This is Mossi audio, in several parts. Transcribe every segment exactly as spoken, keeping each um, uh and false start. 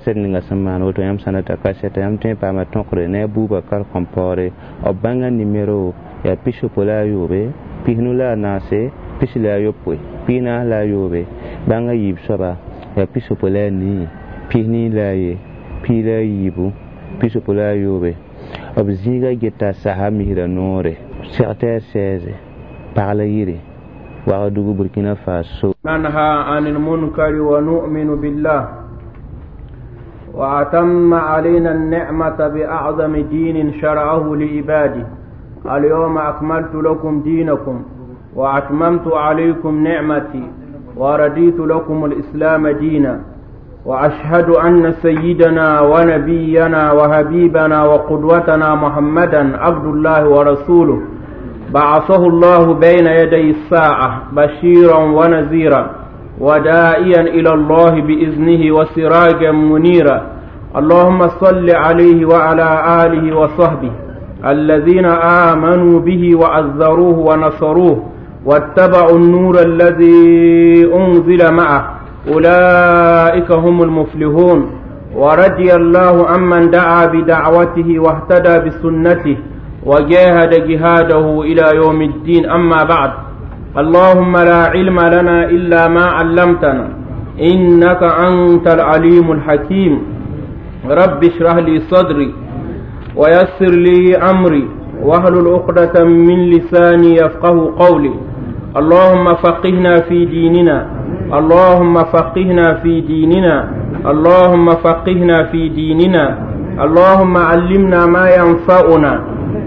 Kaset ninga sẽn maan woto yãmb sã n data kasɛta yãmb tõe n paama tõkre ne a Bubakar Kɔmpɔɔre b bãngã nimero yaa pisopoe la a yoobe pisnu la a naase pis la a yopoe pis naas la a yoobe bãngã yiib soaba yaa pisopoe la a nii pis nii la a ye pii la a yiibu pisopoe la a yoobe b zĩiga geta sasa misra noore sectaire seize pagla yiri Ouagadougou Burkina Faso. ننهى عن المنكر ونؤمن بالله وأتم علينا النعمة بأعظم دين شرعه لعباده اليوم أكملت لكم دينكم وأتممت عليكم نعمتي ورديت لكم الإسلام دينا وأشهد أن سيدنا ونبينا وحبيبنا وقدوتنا محمدا عبد الله ورسوله بعثه الله بين يدي الساعة بشيرا ونذيرا وداعيا إلى الله بإذنه وسراجا منيرا اللهم صل عليه وعلى آله وصحبه الذين آمنوا به وعزروه ونصروه واتبعوا النور الذي أنزل معه أولئك هم المفلحون ورضي الله عمن دعا بدعوته واهتدى بسنته وجاهد جهاده إلى يوم الدين أما بعد اللهم لا علم لنا إلا ما علمتنا إنك أنت العليم الحكيم رب اشرح لي صدري ويسر لي أمري واحلل عقدة من لساني يفقه قولي اللهم فقهنا في ديننا اللهم فقهنا في ديننا اللهم فقهنا في ديننا اللهم علمنا ما ينفعنا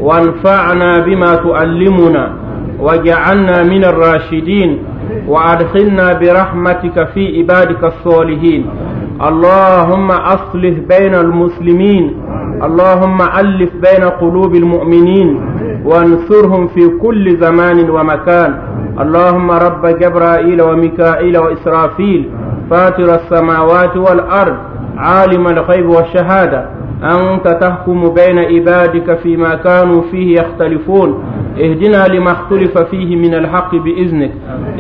وانفعنا بما تعلمنا واجعلنا من الراشدين وادخلنا برحمتك في عبادك الصالحين اللهم اصلح بين المسلمين اللهم الف بين قلوب المؤمنين وانصرهم في كل زمان ومكان اللهم رب جبرائيل وميكائيل وإسرافيل فاطر السماوات والأرض عالم الغيب والشهادة أنت تحكم بين عبادك فيما كانوا فيه يختلفون اهدنا لما اختلف فيه من الحق بإذنك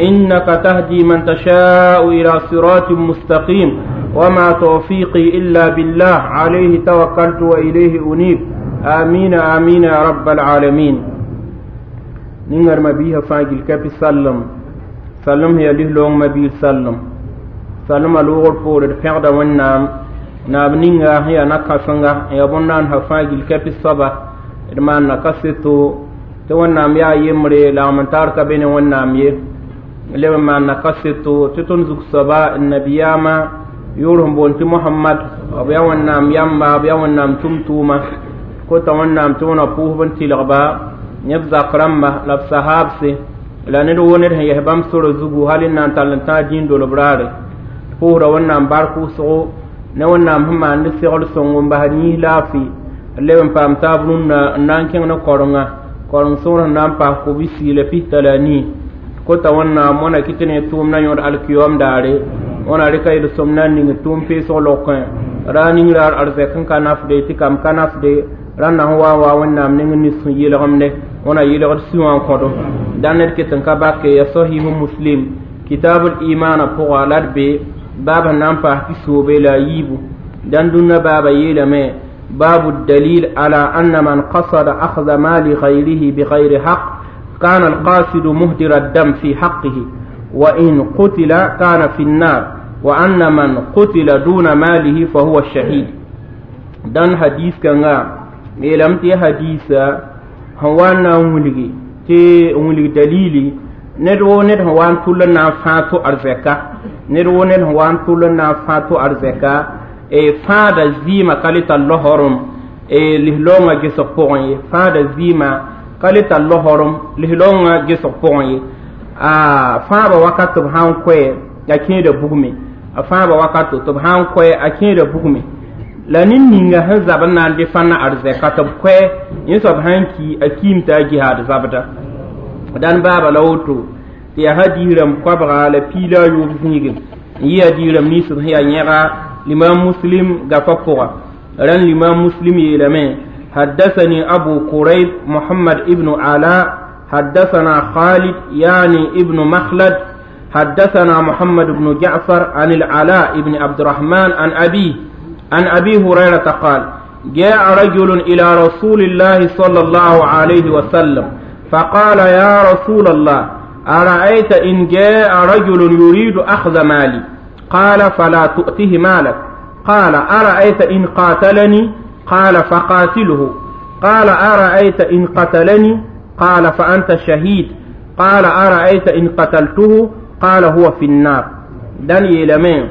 إنك تهدي من تشاء إلى صراط مستقيم وما توفيقي إلا بالله عليه توكلت وإليه أنيب آمين آمين يا رب العالمين ningar mabiha fãa gil kapi sallem sallem sẽn yaa lislaoong mabiir sallem sallema loogr poore d pẽgda wẽnnaam naab ninga sẽn yaa na-kãsenga n yaa bõn-naandsã fãa gil kapi soaba d maanna kaseto tɩ wẽnnaam yaa yembre lagm n taar ka be ne wẽnnaam ye leb n maanna kaseto tɩ tõnd zug soaba n nabiyaamã yʋʋr sẽn boond tɩ mohamad b yaa wẽnnaam yamba b yaa wẽnnaam tʋm-tʋʋma kota wẽnnaam tɩ wẽna pʋʋsb n tɩlgba yẽb zak rãmba la b sahaabse la ned woo ned sẽn yes bãmb sora zugu hal n na n tall n tãag dĩin dolb raare pʋʋsda wẽnnaam bark wʋsgo ne wẽnnaam sẽn maand segl sõngo n basd yĩs laafɩ n leb n paam taab rũnnã n na n kẽng ne korenga koreng sõor sẽn na n paas kobsi la pista la a nii kota wẽnnaam wãna kɩ tɩ ne tʋʋmdã yõod alkiyom daare wãna rɩka yel-sõm na n ning tʋʋm peesg lokẽ ra ning raar arzɛk n ka nafde tɩ kam ka nafde rãnda sẽn wa n wa wẽnnaam ning n nis sẽn yelgemde wãna yelgd sũ wã n kõdo dãn ned ket n ka bake ya sahihu muslim kitabul imana pʋga la d be baab sẽn na n paas pisoobe la a yiibu dãn dũnna baaba yeelame باب الدليل على أن من قصد أخذ مال غيره بغير حق كان القاصد مهدر الدم في حقه وإن قتل كان في النار وأن من قتل دون ماله فهو الشهيد دان حديث كان yeelame tɩ hadiisa sẽn wa n na n wilgi tɩ n wilg dalili ned woo ned sẽn wa n tʋl n na n fãag to arzɛka ned woo ned sẽn wa n tʋl n na n fãag to arzɛka fãada zɩɩmã ka le tar laoorem lislaoongã gesg pʋgẽ ye fãada zɩɩmã ka le tar laoorem lislaoongã gesg pʋgẽ ye a fãaba wakat tɩ b sã n koɛ a kẽeda bugme a fãaba wakat tɩ b sã n koɛ a kẽeda bugme la ned ninga sẽn zab n na n defãnna arzɛka tɩ b koɛ yẽ soab sã n ki a kiim t'a jihaad zabda dãn baaba la woto tɩ yaa hadiis rãmb koabga la piila a yoob zĩigẽ n yɩ hadiis rãmb nins sẽn yaa yẽga limam muslim gafa pʋga rãn limam muslim yeelame حدثني أبو كريب محمد ابن علاء حدثنا خالد يعني ابن مخلد حدثنا محمد بن جعفر عن العلاء بن عبد الرحمن عن أبيه عن أبي هريرة قال جاء رجل إلى رسول الله صلى الله عليه وسلم فقال يا رسول الله أرأيت إن جاء رجل يريد أخذ مالي قال فلا تؤته مالك قال أرأيت إن قاتلني قال فقاتله قال أرأيت إن قتلني قال فأنت شهيد قال أرأيت إن قتلته قال هو في النار دان يلمين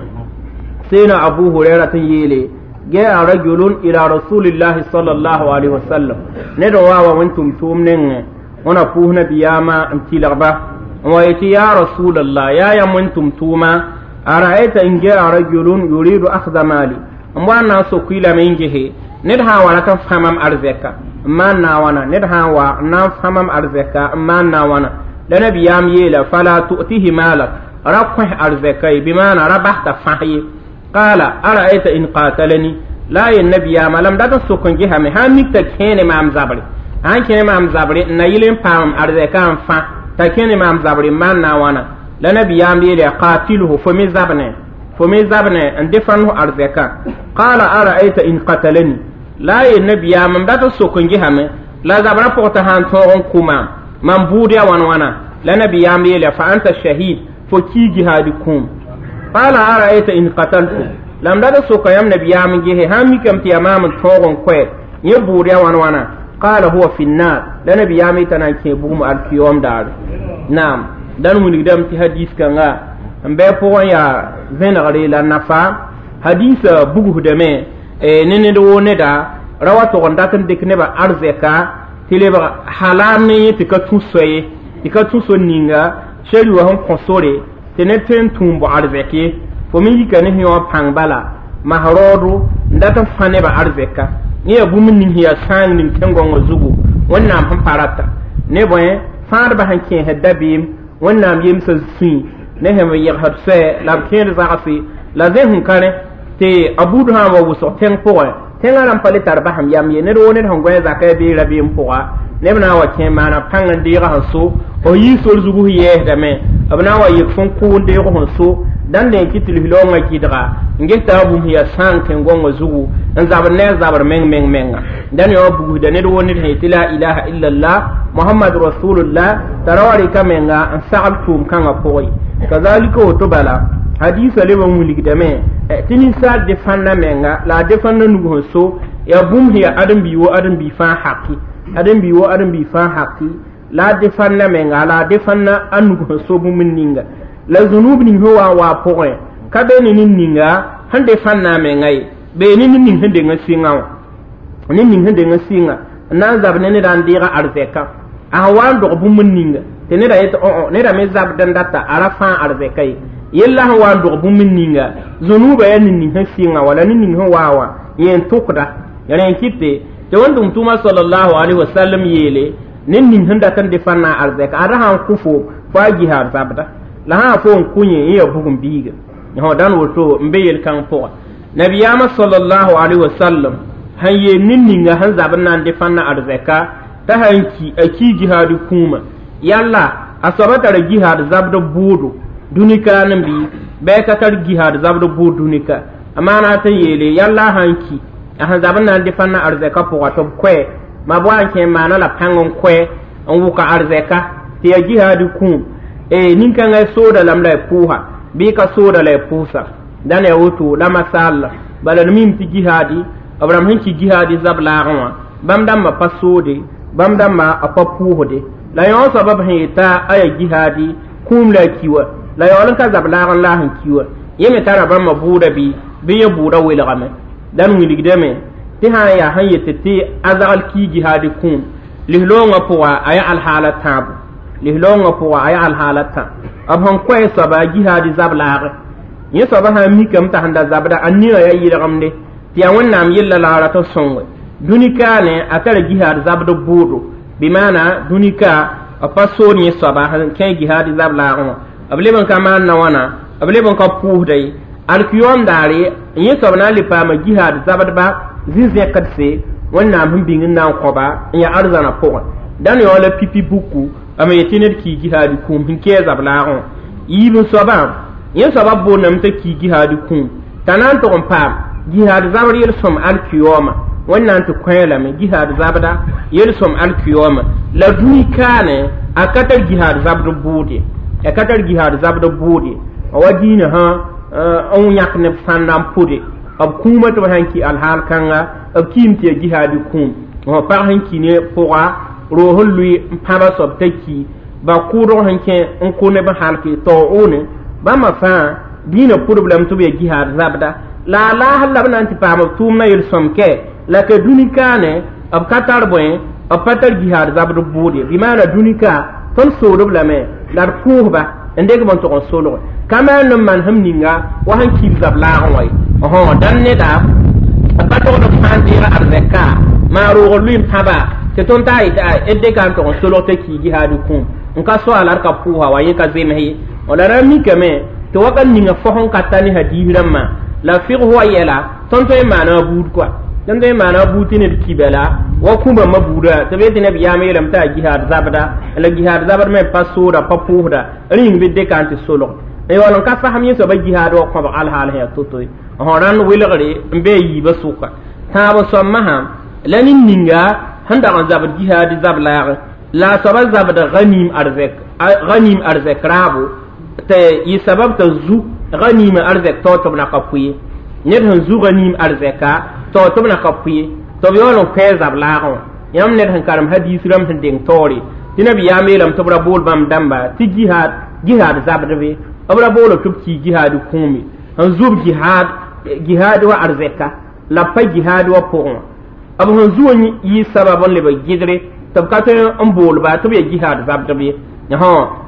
سينا أبو هريرة يلي جاء رجل إلى رسول الله صلى الله عليه وسلم ندعوا وانتم تومنين وانا بوهنا بياما امتي لغبا ويتي يا رسول الله يا يا منتم توما أرأيت إن جاء رجل يريد أخذ مالي وانا سكيل من جهه ندها وانا تفهمم أرزكا ما ناوانا ندها وانا فهمم أرزكا ما ناوانا لنبيام يلا فلا تؤتيه مالك ربح أرزكي بمعنى ربحت فحي قال أرأيت إن قاتلني لا النبي ما لم دات سكن جهة مهامك تكين مام زبري an kẽne maam zabre n na yɩl n paam arzɛka n fã t'a kẽne maam zabre n maan na wãna la nabiyaam yeele qatilhu fo me zabne fo me zabne n defãn fo arzɛka qala ara'ayta in qatalani la yel nabiyaam m dat n sok n gesame la zabrã pʋg t'a sãn tõog n kʋ maam mam buud ya wãn wãna la nabiyaam yeele fa anta shahid fo kii jihaadi kũum qala ara'ayta in qataltu la m dat n soka yãmb nabiyaam n gese sãn mikame tɩ yaa maam n tõog n koɛ yẽ buud ya wãn wãna قال هو في النار لا نبي يامي تنان كي بوم الكيوم دار نعم دان وني دم تي حديث كanga mbe pʋgẽ yaa zẽnegre la nafa hadisa bugsdame ne ned woo neda ra wa tog n dat n dɩk nebã arzɛka tɩ lebg halal ne yẽ tɩ ka tũ soye tɩ ka tũ so ninga seri wã sẽn kõ sore tɩ ned tõe n tũum bao arzɛk ye fo me yika ne sẽn yõ pãng bala mas raoodo n dat n fã nebã arzɛka yẽ yaa bũmb ning sẽn yaa sãang ning tẽn-gõngã zugu wẽnnaam sẽn pa rata ne bõe fãadbã sẽn kẽesd dabeem wẽnnaam yemsã sũy ne sẽn yɛgsd soɛ la b kẽed zagse la zẽ sẽn ka rẽ tɩ a buud sã n wa wʋsg tẽng pʋgẽ tẽngã rãmb pa le tar basem yam ye ned woo ned sẽn gõe zakã bee rabeem pʋga neb na n wa kẽ maana pãng n deeg sẽn so f yii sor zug f yɛɛsdame b na n wa yek fõn kʋ n deeg sẽn so dãn dẽn kɩ tɩ lislaoongã gɩdga n ges t'a bũmb sẽn yaa sãang tẽn-gõngã zugu n zabr ne a zabr meng meng menga dãn yã bugsda ned woo ned sẽn yetɩ la ilaha illallah muhammad rasulullah t'a ra wa rɩka menga n sagl tʋʋm kãngã pʋgẽ kazalika woto bala hadisa leb n wilgdame tɩ ninsaal defãnda menga la a defãnda nug sẽn so yaa bũmb sẽn yaa ãdem-bi wo ãdem-bi fãa haki ãdem-bi wo ãdem-bi fãa haki la a defãnda menga la a defãnda a nug sẽn so bũmb ninga la zunub ning sẽn wa n waa pʋgẽ ka be ne ned ninga sẽn defãnda a menga ye bee ne ned ning sẽn deng n sɩngã wã ned ning sẽn deng n sɩnga n na n zab ne neda n deega arzɛka a sẽn wa n dog bũmb ninga tɩ neda yetɩ õ neda me zabd n data a ra fãa arzɛka ye yella sẽn wa n dog bũmb ninga zũnuubã yaa ned ning sẽn sɩngã wala ned ning sẽn waa wã yẽ n tʋkda rẽ n kɩte tɩ wẽn-tʋm tʋʋma sallallahu alaihi wasallam yeele ned ning sẽn dat n defãnda a arzɛka ada sã n kʋ fo fo a jihaad zabda la sã fo n kʋ yẽ yẽ yaa bugum biiga dãn woto n be yel-kãng pʋga nabiyaamã sallallahu alaihi wasallam sẽn yeel ned ninga sẽn zab n na n defãnda arzɛka t'a sãn ki a kii jihaad kũumã yalla a soaba tara jihaad zabd bʋʋdo dũnika n bɩ bɩ ka tar jihaad zabd bʋʋd dũnika a maana tɩ yeele yalla a sãn ki a sẽn zab n na n defãnda arzɛka pʋga tɩ b koɛ ma b wa n kẽ maana la pãng n koɛ n wʋka arzɛka tɩ yaa jihaad kũum nin-kãngã sooda lame la y pʋʋsa bɩ ka sooda la y pʋʋsa dãn yaa woto la masal bala d mim tɩ jihaadi b rãmb sẽn ki jihaadi zab laagẽ wã bãmb dãmbã pa soode bãmb dãmbã a pa pʋʋsde la yõ soaba b sẽn yeta a yaa jihaadi kũum la a ki wa la yaool n ka zab laag n la sẽn ki wa yẽ me tara bãmbã bʋʋda bɩ bɩ yẽ bʋʋda welgame dãn wilgdame tɩ sã n yaa sẽn yetɩ tɩ a zagl kii jihaadi kũum lislaoongã pʋga a yaa alhaala tãabo lislaoongã pʋga a yaa alhaala tã b sẽn koɛ soaba jihaadi zab laage yẽ soaba sã n mikame t'a sẽn da zabda a ningã yaa yɩlgemde tɩ yaa wẽnnaam yella la a rat n sõnge dũni-kaane a tara jihaad zabd bʋʋdo bɩ maana dũni-ka b pa sood yẽ soaba sẽn kẽ jihaadi zab laagẽ wã b leb n ka maan na wãna b leb n ka pʋʋsda ye alkiyoom daare yẽ soab na n le paama jihaad zabdba zĩ-zẽkdse wẽnnaam sẽn bĩng n na n kõba n yaa arzãna pʋgẽ dãn yaoɔ la pipi buku a me yetɩ ned kii jihaadi kũum sẽn kɛɛ zab laagẽ wã yiib n soabã yẽ soabã boondame t'a kii jihaadi kũum t'a na n tʋg n paam jihad zabr yel-sõm alkiyoma wẽnnaam tɩ kõ lame jihad zabda yel-sõm alkiyoma la dũni kaane a ka tar jihad zabd bʋʋd ye a ka tar jihad zabd bʋʋd ye wa diinã sã n yãk neb sãnda n pʋde b kũumã tɩ b sãn ki alhaal kãnga b kiim tɩ yaa jihaadi kũum pag sẽn ki ne pʋga roog sẽn lʋɩ n pãba soab t'a ki ba kʋʋdg sẽn kẽ n kʋ neb n halke taoone bãmba fãa dĩinã pʋdb lame tɩ b yaa jihaad zabda la a laasr la b na n tɩ paam b tʋʋmdã yel-sõm kɛ la ka dũni kaane b ka tar bõe b pa tar jihaad zabd bʋʋd ye bɩ maana dũni ka tõnd soodb lame la d pʋʋsba n dek b n tʋg n solge ka maan n maan sẽm ninga wa sẽn kiib zab laagẽ wã ye dãn neda b pa togd b sã n deeg arzɛka maa roog lʋɩ n pãba tɩ tõnd taa yetɩ d dɩka n tʋg n solg t'a kii jihaad kũum n ka soaala d ka pʋʋsa wa yẽ ka zems ye la ra mikame tɩ wakat ninga fos n ka ta ne hadiis rãmbã la fɩgs wa yɛla tõnd tõe n maana a buud kɔa tõnd tõe n maana a buud tɩ ned ki bala wa kũbãmbã buuda tɩ b yetɩ nabiyaam yeelame t'a jihaad zabda la jihaad zabd me pa sooda pa pʋʋsda rĩng bɩ dɩka n tɩ solg n yaool n ka fasem yẽ soaba jihaad wa kõbg alhaal sẽn yaa to-to ye rãnd welgre n be a yiibã sʋka tãab soab masã la ned ninga sẽn dag n zabd jihaad zab-laagẽ la a soaba zabd ghanim arzɛk ghanim arzɛk raabo tɩ yɩ sabab t'a zu ghanima arzɛk tao tɩ b na ka pʋ ye ned sẽn zu ghanim arzɛka tao tɩ b na ka pʋ ye tɩ b yaool n kõ zab-laagẽ wã yãmb ned sẽn karem hadiis rãmb sẽn deng taoore tɩ nabiyaam yeelame tɩ b ra bool bãmb dãmba tɩ jihaad jihaad zabdbe b ra boolo tɩ b kii jihaad kũume n zub jihaad jihaad wa arzɛka la pa jihaad wa pʋgẽ wã b sẽn zu yɩ sabab n leb gɩdre tɩ b ka tõe n boolba tɩ b yaa jihaad zabdb ye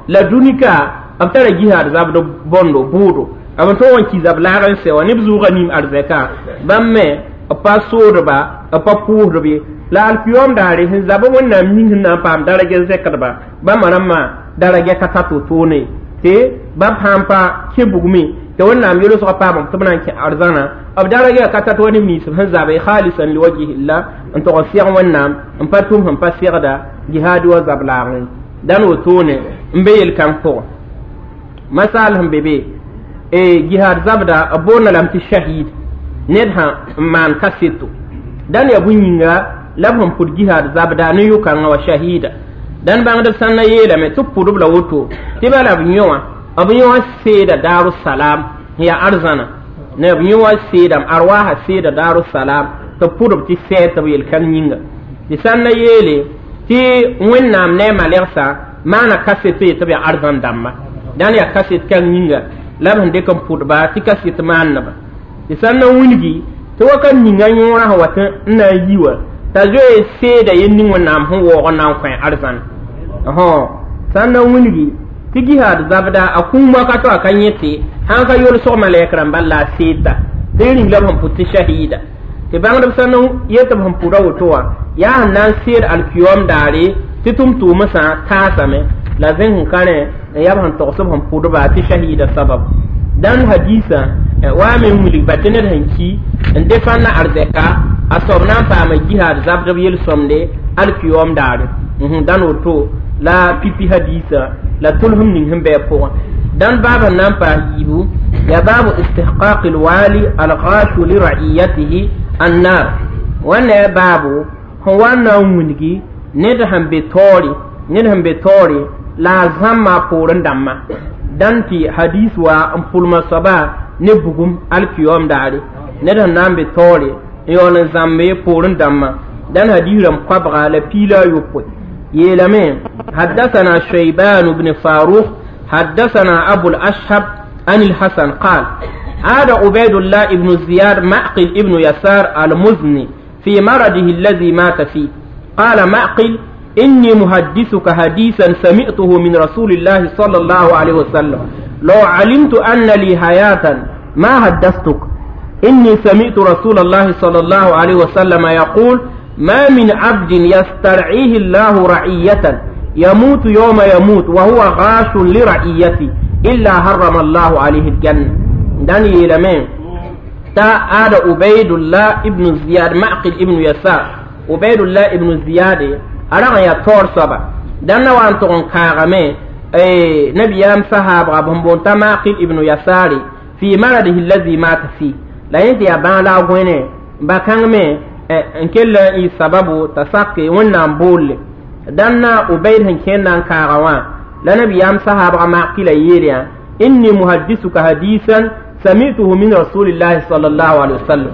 la dũni ka b tara jihaad zabd bõndo bʋʋdo b tõog n ki zab-laag n sɛ wã neb zʋʋga nim arzɛka bãmb me b pa soodba b pa pʋʋsdb ye la alkiyom daare sẽn zab wẽnnaam ning sẽn na n paam daragɛ zɛkdba bãmba rãmbã daragɛ ka ta to-toone tɩ bãmb sãn pa kẽ bugme tɩ wẽnnaam yelsgã paam tɩ b na n kẽ arzãna b daragɛ ka tat wa neb nins sẽn zabe khalisan liwajhillah n tog n sɛg wẽnnaam n pa tʋm sẽn pa sɛgda jihaad wa zab-laagẽ dãn wotone n be yel-kãng pʋgẽ masal sẽn be be jihad zabda b boonda lame tɩ shahid ned sã n maan kaseto dãn yaa bũn-yĩnga la b sẽn pʋd jihad zabda ne yʋ-kãngã wa shahida dãn bãngdb sãn na yeelame tɩ b pʋdb la woto tɩ bala b yõ wã b yõ wã seeda daarusalam n yaa arzãna ne b yõ wã seedame arwaasã seeda daarusalam tɩ b pʋdb tɩ sɛɛ tɩ b yel-kãng yĩnga tɩ sãn na yeele tɩ wẽnnaam ne a malɛgsa maana kaset ye tɩ b yaa arzãn dãmba dãn yaa kaset kãng yĩnga la b sẽn dɩk n pʋdba tɩ kaset maanneba tɩ sãn na wilgi tɩ wakat ninga yõorã sẽn wat n na n yi wã t'a zoe seeda yel ning wẽnnaam sẽn waoog n na n kõ arzãn sãn na wilgi tɩ jihaad zabda a kũum wakato a ka yẽ tɩ sãn ka yolsg malɛk rãmba la a seedda tɩ rĩng la b sẽn pʋd tɩ shahida tɩ bãngdb sãn na yet b sẽn pʋda woto wã yaa sẽn na n seed alkiyom daare tɩ tʋm-tʋʋmsã taasame la zẽng sẽn ka rẽ n yaa b sẽn togs b sẽn pʋdba tɩ shahida sabab dãn hadiisã wa me n wilg ba tɩ ned sẽn ki n defãnda arzɛka a soab na n paama jihaad zabdb yel-sõmde alkiyom daare dãn woto la pipi hadiisã la tʋlsem ning sẽn bɩ a pʋgẽ dãn baab sẽn na n paas yiibu yaa baabu istihqaq alwali alghashu lira'iyatihi annar wãnda yaa baabu sẽn wa n na n wilgi ned sẽn be taoore ned sẽn be taoore la a zãmma a poorẽ dãmbã dãn tɩ hadis wa n pʋlma soaba ne bugum alkiyom daare ned sẽn na n be taoore n yaool n zãmbe poorẽ dãmbã dãn hadis rãmb koabga la piila a yopoe yeelame حدثنا شيبان بن فاروق حدثنا أبو الأشهب عن الحسن قال عاد عبيد الله بن زياد معقل ابن يسار المزني في مرضه الذي مات فيه قال معقل إني محدثك حديثا سمعته من رسول الله صلى الله عليه وسلم لو علمت أن لي حياة ما حدثتك إني سمعت رسول الله صلى الله عليه وسلم يقول ما من عبد يسترعيه الله رعية يموت يوم يموت وهو غاش لرعيته إلا حرم الله عليه الجنة داني لمن تا آد عبيد الله ابن زياد معقل ابن يسار عبيد الله ابن زياد أرغ يا تور سبا دانا وان تغن كاغمي اي نبيام صحابة بمبونتا معقل ابن يسار في مرضه الذي مات فيه La yẽ tɩ yaa bãag la a gõene ba kãng me n kell n yɩ sababu t'a sake Wẽnnaam boolle dãnna Ubayd sẽn kẽnd na n kaaga wã la nabiyaam sahaabga Maqila yeel yã inni muhaddisuka hadisan samituhu min rasulillahi sallallahu alaihi wasallam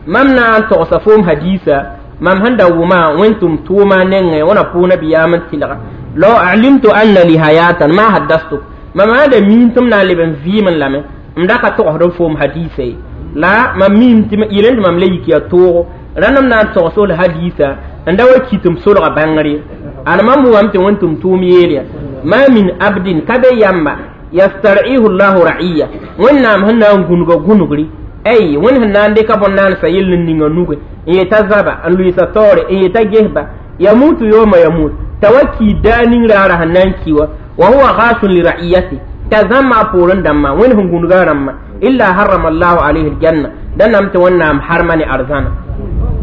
mam na n togsa foom hadisa mam sẽn da wʋma wẽn-tʋm tʋʋma nengẽ wẽna pʋʋg nabiyaam n tɩlga law alimtu anna li hayatan ma haddastuk mam sã da miin tɩ m na n leb n vɩɩmẽ lame m da ka togsd n foom hadisa ye la mam miim tɩ yelẽ tɩ mam le yik yaa toogo rãnd m na n togs l hadisa n da wa kɩt m solga bãngr ye ad mam wʋmame tɩ wẽn-tʋm tʋʋm yeel ya ma min abdin ka be yamba yastar'ihu llahu ra'iya wẽnnaam sẽn na n gũnga gũnugri ay wẽnd sẽn na n dɩka bõn-naandsã yell n ninga nuge n yeta zaba n lʋɩɩsa taoore n yeta gesba yamutu yoma yamut t'a wa kiid daa ning raara sẽn na n ki wa wa huwa ghashun li ra'iyati t'a zãmba a poorẽ dãmbã wẽnd sẽn gũnga rãmbã illa harrama allahu alayhi aljanna da nam tɩ wẽnnaam harma ne arzãna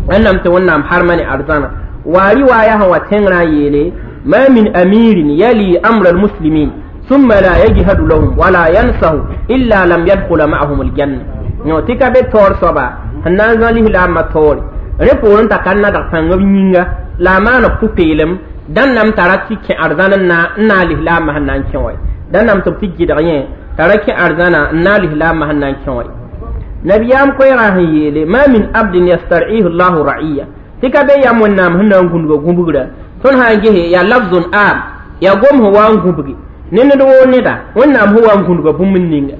wẽnnaam tɩ wẽnnaam harma ne arzãna wa riwaya sẽn wa tẽngrã yeele ma min amirin yali amra almuslimin ثم لا يجهد لهم ولا ينصه إلا لم يدخل معهم الجنة no tɩ ka be taoor soaba sẽn na n zã lislaambã taoore rẽ poorẽ t'a ka nadg pãng b yĩnga la a maana pʋ-peelem dãn nam t'a ra tɩ kẽ arzãn n na n naag lislaambã sẽn na n kẽ wa dãn nam tɩ b tɩ gɩdg yẽ t'a ra kẽ arzãna n naag lislaambã sẽn na n kẽ wa nabiyaam koɛɛgã sẽn yeele ma min abdin yastar'ihu llahu ra'iya tɩ ka be yam wẽnnaam sẽn na n gũnga gũbgrã tõnd sã n gese yaa lafzun am yaa gom sẽn wa n gũbgi ne ned woo neda wẽnnaam sẽn wa n gũnga bũmb ninga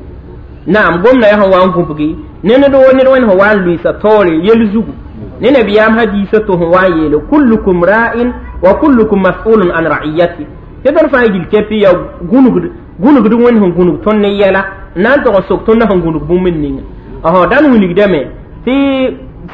naam gomda yaa sẽn wa n gũbgi ne ned woo ned wẽnd sẽn wa n lʋɩɩsa taoore yel zugu ne nabiyaam hadiisa to sẽn wa n yeele kullukum ra'in wa kullukum mas'ulun an ra'iyati tɩ tõnd fãa gil kɛpɩ yaa gũnugd gũnugd wẽnd sẽn gũnug tõnd ne yɛla n na n tog n sok tõnd sẽn gũnug bũmb ninga ɔsõ dãn wilgdame tɩ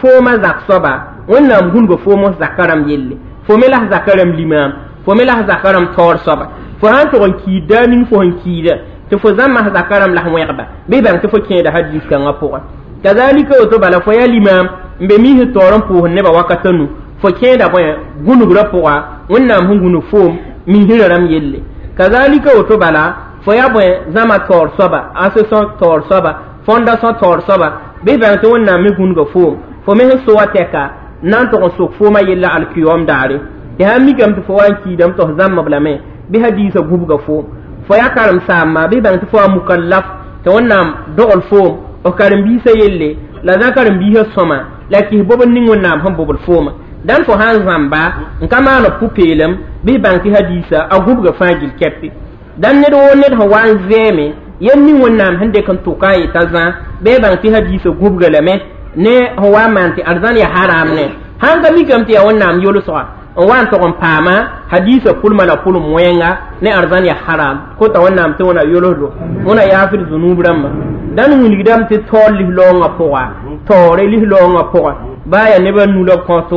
foomã zak soaba wẽnnaam gũnuga foom zaka rãmb yelle fo me la s zaka rãmb limaam fo me la s zaka rãmb taoor soaba fo sã n tog n kiid daa ning fo sẽn kiida tɩ fo zãmba s zaka rãmb la s wẽgba bɩ bãng tɩ fo kẽeda hadiis kãngã pʋgẽ kazalika woto bala fo yaa limaam n be misd taoor n pʋʋsd nebã wakata nu fo kẽeda bõe gũnugrã pʋga wẽnnaam sẽn gũnug foom misrã rãmb yelle kazalika woto bala fo yaa bõe zãma taoor soaba association taoor soaba fondation taoor soaba bɩ bãng tɩ wẽnnaam me gũnuga foom fo me sẽn so wa tɛka n na n tog n sok foomã yella alkiyom daare tɩ sãn mikame tɩ fo wa n kiidame tɩ f zãmb lame bɩ hadiisã gũbga foom fo yaa karen-saamba bɩ bãng tɩ fo wa mukallaf tɩ wẽnnaam dogl foom f karen-biisã yelle la zã karen-biisã sõma la kis bobd ning wẽnnaam sẽn bobl foomã dãn fo sã n zãmba n ka maan pʋ-peelem bɩ bãng tɩ hadiisã a gũbga fãa gil kɛpe dãn ned woo ned sẽn wa n zɛɛme yel ning wẽnnaam sẽn dɩk n tʋka n yetã zã bɩ bãng tɩ hadiisã gũbga lame ne sẽn wa n maan tɩ arzãn yaa haram ne sãn ka mikame tɩ yaa wẽnnaam yolsga n wa n tog n paama hadiisã pʋlmã la pʋlem wẽnga ne arzãn yaa haram kota wẽnnaam tɩ wẽna yolsdo wẽna yaafd zunub rãmbã dãn wilgdame tɩ taoor lislaoongã pʋga taoore lislaoongã pʋga baa yaa nebã nu la b kõt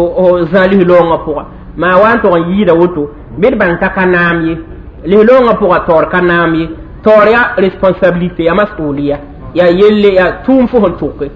zã lislaoongã pʋga maa wa n tog n yɩɩda woto bɩ d bãng t'a ka naam ye lislaoongã pʋga taoor ka naam ye taoor yaa responsabilité yaa masuliya yaa yelle yaa tʋʋm fo sẽn tʋke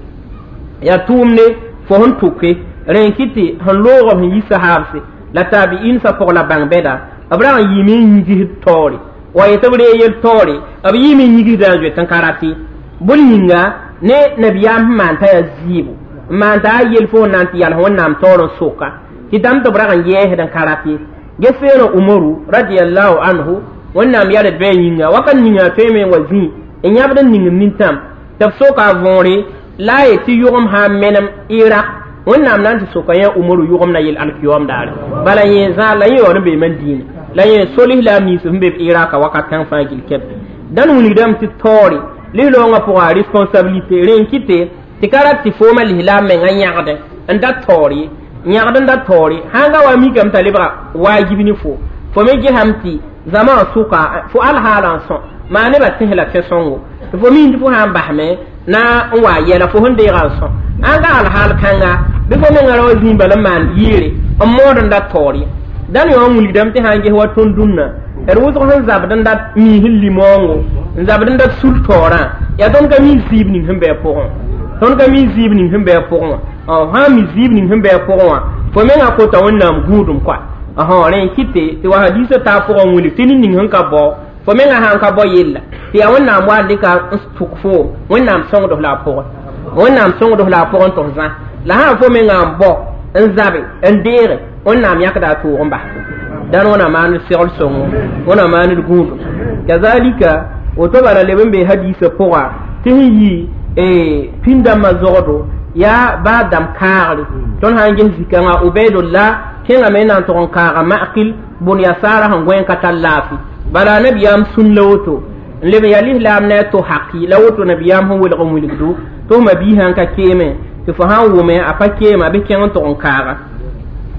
yaa tʋʋmne fo sẽn tʋke rẽ n kɩ tɩ sẽn loog b sẽn yi sahaabse la tabi'in sa pʋg la bãng bɛda b rag n yɩɩme n yigsd taoore wa yetɩ b ree yel taoore b yɩɩme n yigsda n zoet n ka rat ye bõn yĩnga ne nabiyaam sẽn maan t'a yaa zɩɩbo n maan t'a a yel fo n na n tɩ yals wẽnnaam taoor n soka tɩ dãmb tɩ b rag n yɛɛsd n ka rat ye ges-feerã umaru radiallahu anhu wẽnnaam yared bɩ a yĩnga wakat ninga a tõeme n wa zĩ n yãbd n ning nintãm tɩ b soka a võore la a yet tɩ yʋgem sã n menem iraq wẽnnaam na n tɩ soka yã umaru yʋgem na yel alkiyom daare bala yẽ zã la yẽ yaood n beeme n dĩinã la yẽ sol islaam nins sẽn be b iraka wakat kãng fãa gil kɛp dãn wilgdame tɩ taoore lislaoongã pʋga responsabilité rẽ n kɩte tɩ ka rat tɩ foomã lislaam mengã yãgdẽ n da taoor ye yãgd n da taoore sãn ga wa mikame t'a lebga waajib ne fo fo me gesame tɩ zãma wã sʋka fo alhaala n sõ maa nebã tẽs la tẽ-sõngo tɩ fo miin tɩ fo sã n basme na n wa yɛla fo sẽn deegã n sõ ãn ga alhaal kãnga bɩ fo mengã ra wa zĩig bala n maan yɩɩre n mood n da taoor ye dãn yõ n wilgdame tɩ sã n ges wa tõnd dũnna d wʋsg sẽn zabd n dat miis n limoongo n zabd n dat sul taoorã yaa tõnd ka mi zɩɩb ning sẽn bɩ a pʋgẽ tõnd ka mi zɩɩb ning sẽn bɩ a pʋgẽ wã sã n mi zɩɩb ning sẽn bɩ a pʋgẽ wã fo mengã kota wẽnnaam gũudum koa rẽ n kɩte tɩ wa hadiisã taa pʋgã n wilg tɩ ned ning sẽn ka bao fo mengã sã n ka bao yella tɩ yaa wẽnnaam wa n dɩka n tʋk foom wẽnnaam sõngd f la a pʋgẽ Wẽnnaam sõngd la a pʋgẽ tɩ f zã la sã n fo menga n bao n zabe n deege wẽnnaam yãkda a toog n bas dãn wẽna maan segl sõngo wẽna maan d gũudum kazalika woto bala leb n be hadiisã pʋga tɩ sẽn yi pĩnd-dãmbã zogdo yaa baa dãmb kaagre tõnd sã n ges zikãngã ubaidullah kẽngame n na n tʋg n kaaga ma'kil bʋn yasaara sẽn gõe n ka tar laafɩ bala nabiyaam sũn la woto n leb n yaa lislaam ne a to haki la woto nabiyaam sẽn welg n wilgdo tɩ f ma-biisã n ka keeme tɩ fo sã n wʋme a pa keema bɩ kẽng n tʋg n kaaga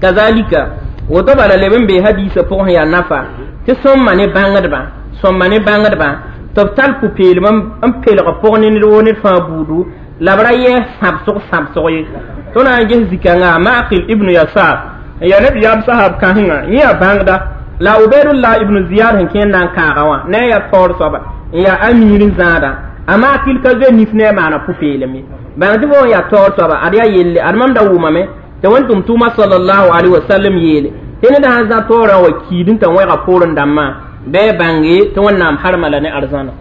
kazalika woto bala leb n be hadiisã pʋgẽ yaa nafa tɩ sõmma ne bãngdbã sõmma ne bãngdbã tɩ b tar pʋ-peelem n pelg pʋg ne ned woo ned fãa buudu la b ra yɛɛs sãbsg sãbsg ye tõnd na n ges zikãngã ma'qil ibnu yasar n yaa nabiyaam sahab kãsenga yẽ yaa bãngda la ubaidullah ibnu ziyad sẽn kẽer na n kaaga wã ne a yaa taoor soaba n yaa amiir n zãada a ma'kil ka zoe nif ne a maana pʋ-peelem ye bãng tɩ fo n yaa taoor soaba ad yaa yelle ad mam da wʋmame tɩ wẽn-tʋm tʋʋma sallallahu alaihi wasallam yeele tɩ ned sã n zã taoorã wa kiid n t'a wẽga poorẽ dãmbã bɩ a bãnge tɩ wẽnnaam harma la ne arzãna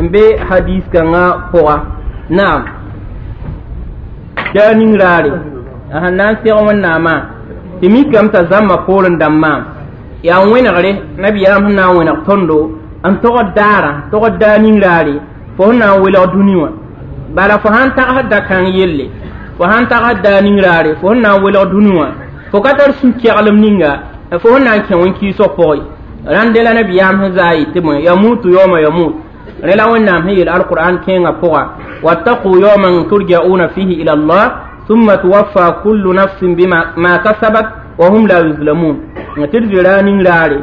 n be hadis kãngã pʋga naam daa ning raare a sẽn na n seg wẽnnaamã tɩ mikame t'a zãmbã poorẽ dãmbã yaa wẽnegre nabiyaam sẽn na n wẽneg tõndo n togd daara togd daa ning raare fo sẽn na n welg dũni wã bala fo sãn tagsd da-kãng yelle fo sãn tagsd daa ning raare fo sẽn na n welg dũni wã fo ka tar sũ-keglem ninga fo sẽn na n kẽ wẽn-kɩɩsg pʋgẽ rãnde la nabiyaam sẽn zaa yetɩ bõe yamutu yawma yamut rẽ la wẽnnaam sẽn yeel alqur'an kẽengã pʋga wattaqu yawman turja'una fihi ila allah thumma tuwaffa kullu nafsin bima ma kasabat wa hum la yuzlamun tɩ d zoe raa ning raare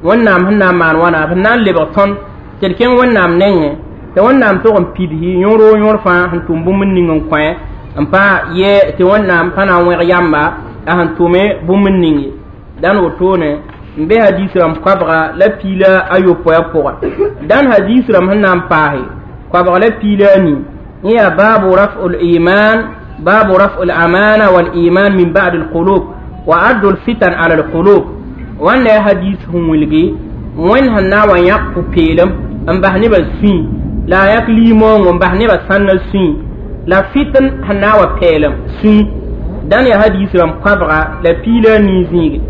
wẽnnaam sẽn na n maan wãna b sẽn na n lebg tõnd tɩ d kẽng wẽnnaam nengẽ tɩ wẽnnaam tʋg n pidsi yõor o yõor fãa sẽn tʋm bũmb ning n kõ n pa yɛ tɩ wẽnnaam pa na n wẽg yamba a sẽn tʋme bũmb n ning ye dãn wotone n be hadis rãmb koabga la piila a yopoe pʋga dãn hadis rãmb sẽn na n paase koabg la piila a nii yẽ yaa baabu rafu liman baabu rafu lamana waliman min ba'd alqulub wa addu lfitan ala alqulub wãnda yaa hadis sẽn wilgi wẽnd sẽn na n wa yãk pʋ-peelem n bas nebã sũy la a yãk liimoongo n bas nebã sãnna sũy la fitn sẽn na n wa pɛɛlem sũy dãn yaa hadis rãmb koabga la piila a nii zĩige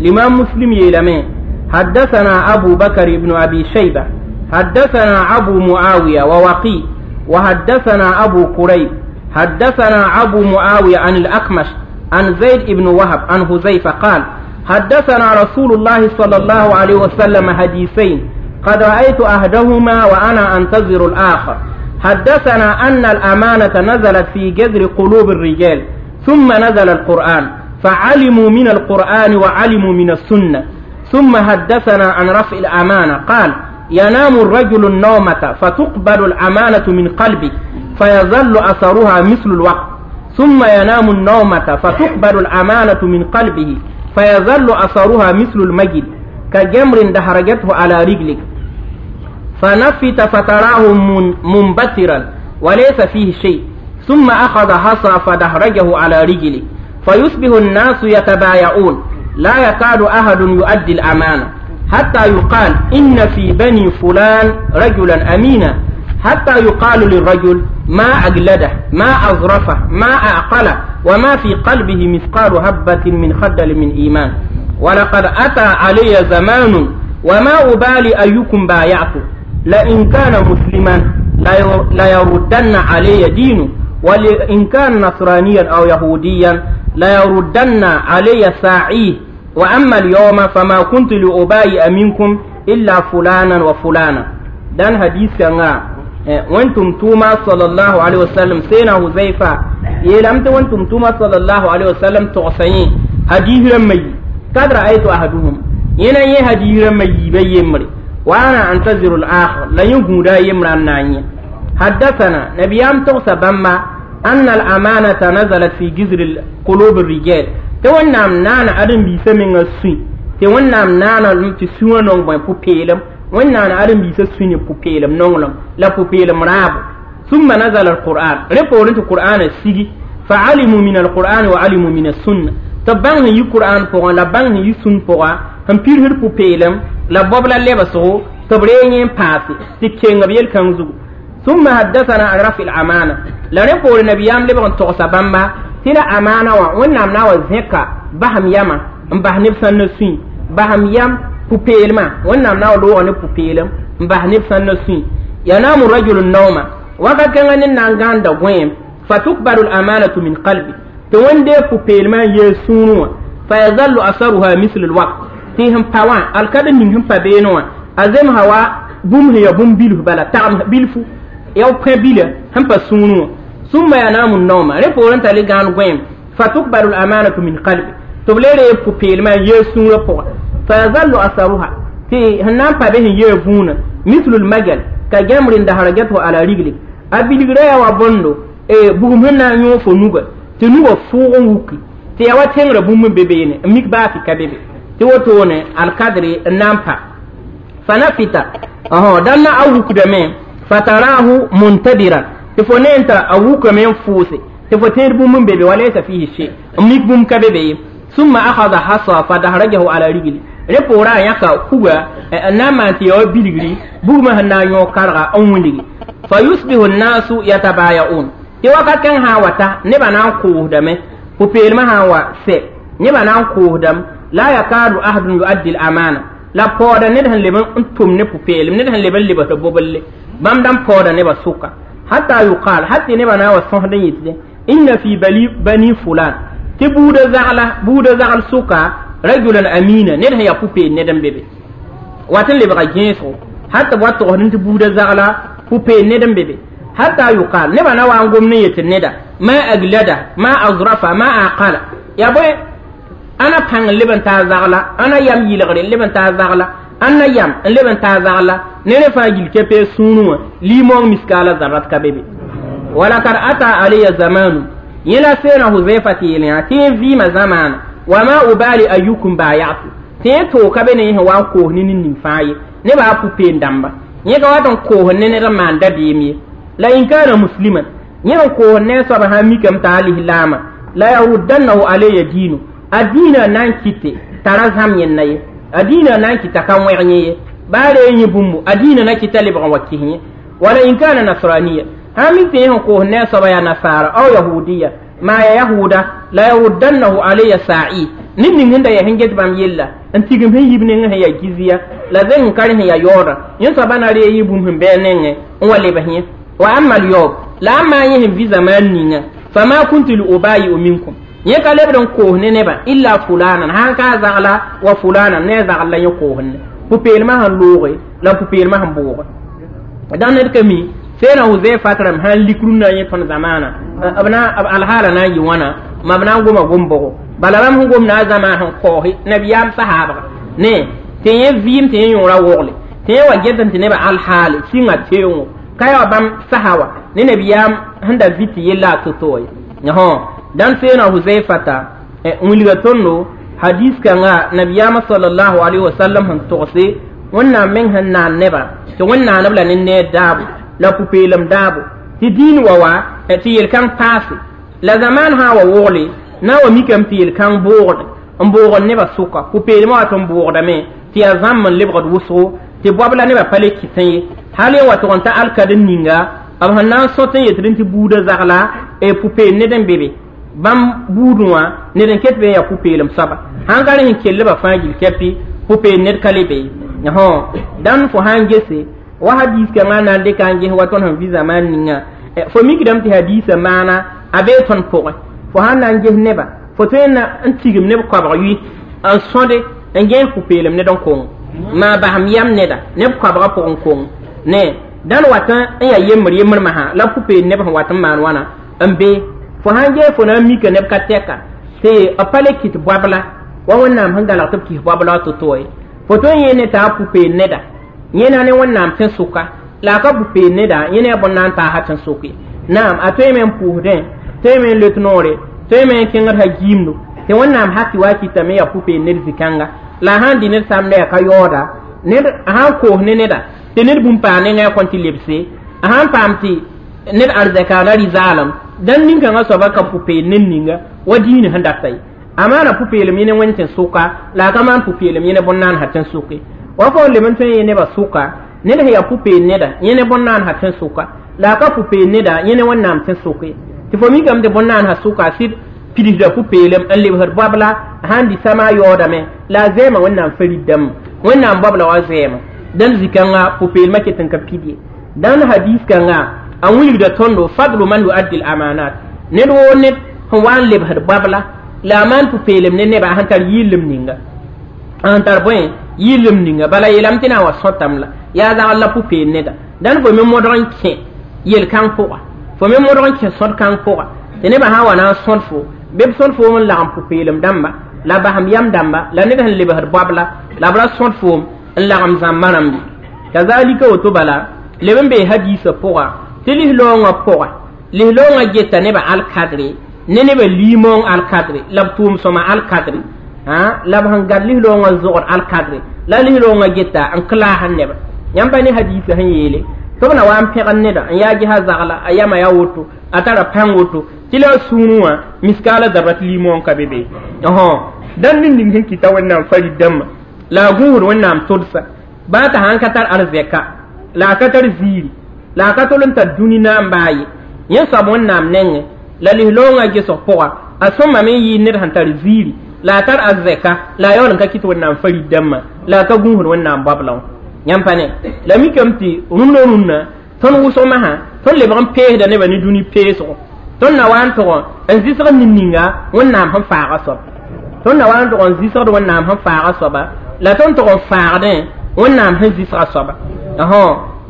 الإمام مسلم يلمي حدثنا أبو بكر بن أبي شيبة حدثنا أبو معاوية ووقي وحدثنا أبو كريب حدثنا أبو معاوية عن الأكمش عن زيد بن وهب عن حذيفة قال حدثنا رسول الله صلى الله عليه وسلم حديثين قد رأيت أحدهما وأنا أنتظر الآخر حدثنا أن الأمانة نزلت في جذر قلوب الرجال ثم نزل القرآن فعلموا من القرآن وعلموا من السنة ثم حدثنا عن رفع الأمانة قال ينام الرجل النومة فتقبل الأمانة من قلبه فيظل أثرها مثل الوقت ثم ينام النومة فتقبل الأمانة من قلبه فيظل أثرها مثل المجد كجمر دحرجته على رجلك فنفت فتراه منبترا وليس فيه شيء ثم أخذ حصى فدحرجه على رجله فيصبح الناس يتبايعون لا يكاد أحد يؤدي الأمانة حتى يقال إن في بني فلان رجلا أمينا حتى يقال للرجل ما أجلده ما أظرفه ما أعقله وما في قلبه مثقال هبة من خردل من إيمان ولقد أتى علي زمان وما أبالي أيكم بايعت لئن كان مسلما ليردن علي دينه ولئن كان نصرانيا أو يهوديا ليردن علي ساعيه وأما اليوم فما كنت لأبايع منكم إلا فلانا وفلانا دان حديث كان وانتم توما صلى الله عليه وسلم سينا حذيفة يلمت وانتم توما صلى الله عليه وسلم تغسين حديث رمي قد رأيت أحدهم ينا يه حديث رمي بيمري وأنا أنتظر الآخر لا يهودا يمران حدثنا نبيام تغسى بما أن الأمانة نزلت في جذر قلوب الرجال تونام نانا أدم بيسا من السوي تونام نانا تسوى نون بوين بوبيلم ونانا أدم بيسا سوي بوبيلم نونلم لا بوبيلم راب ثم نزل القرآن ريبورنت القرآن السيجي فعلموا من القرآن وعلموا من السنة تبان هي القرآن بوغان لا بان هي سن بوغان هم بيرهر بوبيلم لا بوبلا لبسو تبرين باسي تكين بيل كانزو ثم حدثنا عن رفع الأمانة لا نقول النبي أم لبغن تغسى بامبا تلا أمانة ونعم ناوى زكا بهم يما بهم نفسا نسوي بهم يم بوبيلما ونعم ناوى لوغن بوبيلم بهم نفسا نسوي ينام الرجل النوم وقد كان نانغان دا غويم فتكبر الأمانة من قلبي تون دي بوبيلما يسونوا فيظل أثرها مثل الوقت تيهم باوان الكاد نينهم بابينوا أزم هوا بوم هي بوم بيلو بلا تعم بيلفو يو بيلا هم بسونو ثم ينام النوم ريبورن تالي غان غويم فتكبر الأمانة من قلبي تبليري بوبيلما يسونوا بو فيظل أثرها تي هنام بابه يفون مثل المجل كجمر دهرجته على رجلك أبيلغريا وبوندو e bugum sẽn na n yõog fo nuga tɩ nugã fʋʋg n wuki tɩ yaa wa tẽngrã bũmb n be beene n mik baa tɩ ka be be tɩ wotone alkadre n na n pa fanafita dãn na a wukdame fatarahu muntadiran tɩ fo ne n t'a a wukame n fʋʋse tɩ fo tẽed bũmb n be be walaysa fihi shay n mik bũmb ka be be ye summa akhadha hasa fadahrajahu ala rigli rẽ poorã a yãka kuga n na n maan tɩ ya wa bilgri bugmã sẽn na n yõog karga n wilgi fayusbihu nnasu yatabaya'un tɩ wakat kãng sã n wata nebã na n koosdame pʋ-peelmã sã n wa sɛ nebã na n koosdame la yakadu ahadun yuaddi l-amana la paooda ned sẽn leb n tʋm ne pʋ-peelem ned sẽn leb n lebsd boblle bãmb dãn paooda nebã sʋka hatta yuqal hatta nebã na n wa sõsd n yetɩ inna fi bani fulan tɩ buudã zagla buudã zagl sʋka rajulan amina ned sẽn yaa pʋ-peel ned n be be wat n lebga gẽesgo hatta b wa togsd tɩ buudã zagla pʋ-peel ned n be be حتى يقال نبا نوا نقوم نية الندى ما أجلده ما أظرفه ما أعقله يا بوي أنا بان لبن تازغلا أنا يم يلغري لبن تازغلا أنا يم لبن تازغلا نرفع جيل كبي سونو ليمون مسكالة ذرات كبيبي ولقد أتى علي زمان يلا سينا حذيفة يلنا تين في ما زمان وما أبالي أيكم بايعت تين تو كبني هو كوه نين نفاي نبا بوبين دامبا يكا واتن كوه نين رمان دبيمي la in kana musliman yẽn koos ne soab sã n mikame t'a alislaama la yaruddannahu alayya diinu a diinã na n kɩte t'a ra zãm yẽnda ye a diinã na n kɩta ka wẽg yẽ ye baa ree yẽ bũmbu a diinã na kɩta lebg n wa kis yẽ wala in kana nasraniya sã n mik tɩ yẽ sẽn koos ne soaba yaa nasaara aw yahudiya maa ya yahuda la yaruddannahu alayya sa'i ned ning sẽn da yaa sẽn get bãmb yella n tigim sẽn yib nengẽ sẽn yaa jizya la zeng n ka rẽ sẽn yaa yaooda yẽ soaba na ree yɩ bũmb sẽn bɩ a nengẽ n wa lebs yẽ وأما اليوم لا ما يهم في زمان نينا فما كنت لأبايع منكم يكا لبدن كوهن نبا إلا فلانا هانكا زغلا وفلانا نزغلا يكوهن بوبيل ما هن لوغي لا بوبيل ما هن بوغي دان نركمي سينا حذيفة رم هن لكرنا يتون زمانا أبنا الحالة نا يوانا ما بنا غوما غومبو بلا بام غوم نا زمان هن كوهي نبيام صحابة ني تين فيم تين يورا وغلي تين وجدن تنبا الحالة سينا تيونغ kaya bãmb saha wa ne nabiyaam sẽn da vɩ tɩ yella a to-to ye dãn seena Huzaifata n wilga tõndo hadis kãnga nabiyaamã sallallahu alaihi wasallam sẽn togse wẽnnaam meng sẽn naan nebã tɩ wẽn-naaneb la ne neer daabo la pʋ-peelem daabo tɩ diin wa wa tɩ yel-kãng paase la zamaan sã wa wogle na wa mikame tɩ yel-kãng boogd n boogd nebã sʋka pʋ-peelmã wa tɩ n boogdame tɩ yaa zãmb n lebgd wʋsgo tɩ boab la nebã pa le kɩtẽ ye hal yẽ wa tʋg n ta alkad n ninga b sẽn na n sõt n yetd tɩ buudã zagla pʋ-peel ned n be be bãmb buudẽ wã ned n ket be n yaa pʋ-peelem soaba sãn ka rẽ sẽn kellbã fãa gil kɛpɩ pʋ-peel ned ka le be ye dãn fo sã n gese wa hadis kãngã na n dɩka n ges wa tõnd sẽn vɩ zamaan ninga fo mikdame tɩ hadiisã maana a bee tõnd pʋgẽ fo sãn na n ges nebã fo tõe n tigim neb koabg yʋɩ n sõde n gẽes pʋ-peelem ned n kong maa basem yam neda neb koabgã pʋgẽ kong ne dãn wat n yaa yembr yembr masã la pʋ-peel neb sẽn wat n maan wãna n be fo sãn gee fo na n mika neb ka tɛka tɩ b pa le kɩt boabla wa wẽnnaam sẽn galg tɩ b kis boabla to-to ye fo tõe n yẽ ne t'a pʋ-peel neda yẽna ne wẽnnaam tẽn-sʋka la a ka pʋ-peel neda yẽ ne a bõn na n taasa tẽn-sʋk ye naam a tõeme n pʋʋsdẽ tõeme n let noore tõeme n kẽngd sã giimdo tɩ wẽnnaam haki wa kɩtame yaa pʋ-peel ned zĩ-kãnga la a sãn dɩ ned samda yaa ka yaooda ned a sãn koos ne neda tɩ ned bũmb paa nengã kõn tɩ lebse a sãn paam tɩ ned arzɛkaana rɩ-zaalem dãn nin-kãngã soaba ka pʋ-peel ned ninga wa diinã sẽn data ye a maana pʋ-peelem yẽ ne wẽnd tẽn-sʋka la a ka maan pʋ-peelem yẽ ne bõn-naan sã tẽn-sʋke wa fo n leb n tõe n yẽ nebã sʋka ned sẽn yaa pʋ-peel neda yẽ ne bõn-naan sã tẽn-sʋka La a ka pʋ-peel neda yẽ ne Wẽnnaam tẽ soke tɩ fo mikame tɩ bõn-naan sã sʋka sɩd pidsda pʋ-peelem n lebsd babla sãn dɩ sama a yaoodame la a zɛɛma Wẽnnaam farid dãmba Wẽnnaam babla wa zɛɛma dãn zĩ-kãnga pʋ-peelmã ket n ka pid ye dãn hadis kãnga a wilgda tõndo fadlu man yuaddi l amanat ned woo ned sẽn wa n lebsd babla la a maan pʋ-peelem ne neba sẽn tar yɩllem ninga sẽn tar bõe yɩllem ninga bala yeelame tɩ na n wa sõtame la yaa zagl la pʋ-peel neda dãn fo me modg n kẽ yel-kãng pʋga fo me modg n kẽ sõd-kãng pʋga tɩ nebã sã n wa na n sõd fo bɩ b sõd foom n lagem pʋ-peelem dãmba la basem yam dãmba la ned sẽn lebsd babla la b ra sõd foom n lagem zãmba rãmbe kazalika woto bala leb n bee hadiisã pʋga tɩ lis-loongã pʋga lis-loongã geta nebã alkadre ne nebã liimong alkadre la b tʋʋm sõma alkadre la b sẽn gad lis-loongã zogd alkadre la lis-loongã geta n klaasd neba yãmb pa ne hadiisã sẽn yeele tɩ b na wa n pẽgd neda n yaa gesa zagla a yama yaa woto a tara pãng woto tɩ la a sũurẽ wã miskaala zabra tɩ liimong ka be be dãn ned ning sẽn kɩta Wẽnnaam farid dãmbã la a gũusd Wẽnnaam tʋdsa baa t'a sãn ka tar arzɛka la a ka tar ziiri la a ka tol n tar dũni naam baa ye yẽ soab Wẽnnaam nengẽ la lis-loongã gesg pʋga a sõmame n yɩɩd ned sẽn tar ziiri la a tar arzɛka la a yaool n ka kɩt Wẽnnaam farid dãmbã la a ka gũusd Wẽnnaam babla wã yãmb pa ne la mikame tɩ rũndã rũnnã tõnd wʋsg masã tõnd lebg n peesda nebã ne dũni peesgo tõnd na wa n tʋg n zɩsg ned ninga Wẽnnaam sẽn faaga soab tõnd na wa n tʋg n zɩsgd Wẽnnaam sẽn faaga soaba la tõnd tʋg n faagdẽ Wẽnnaam sẽn zɩsga soaba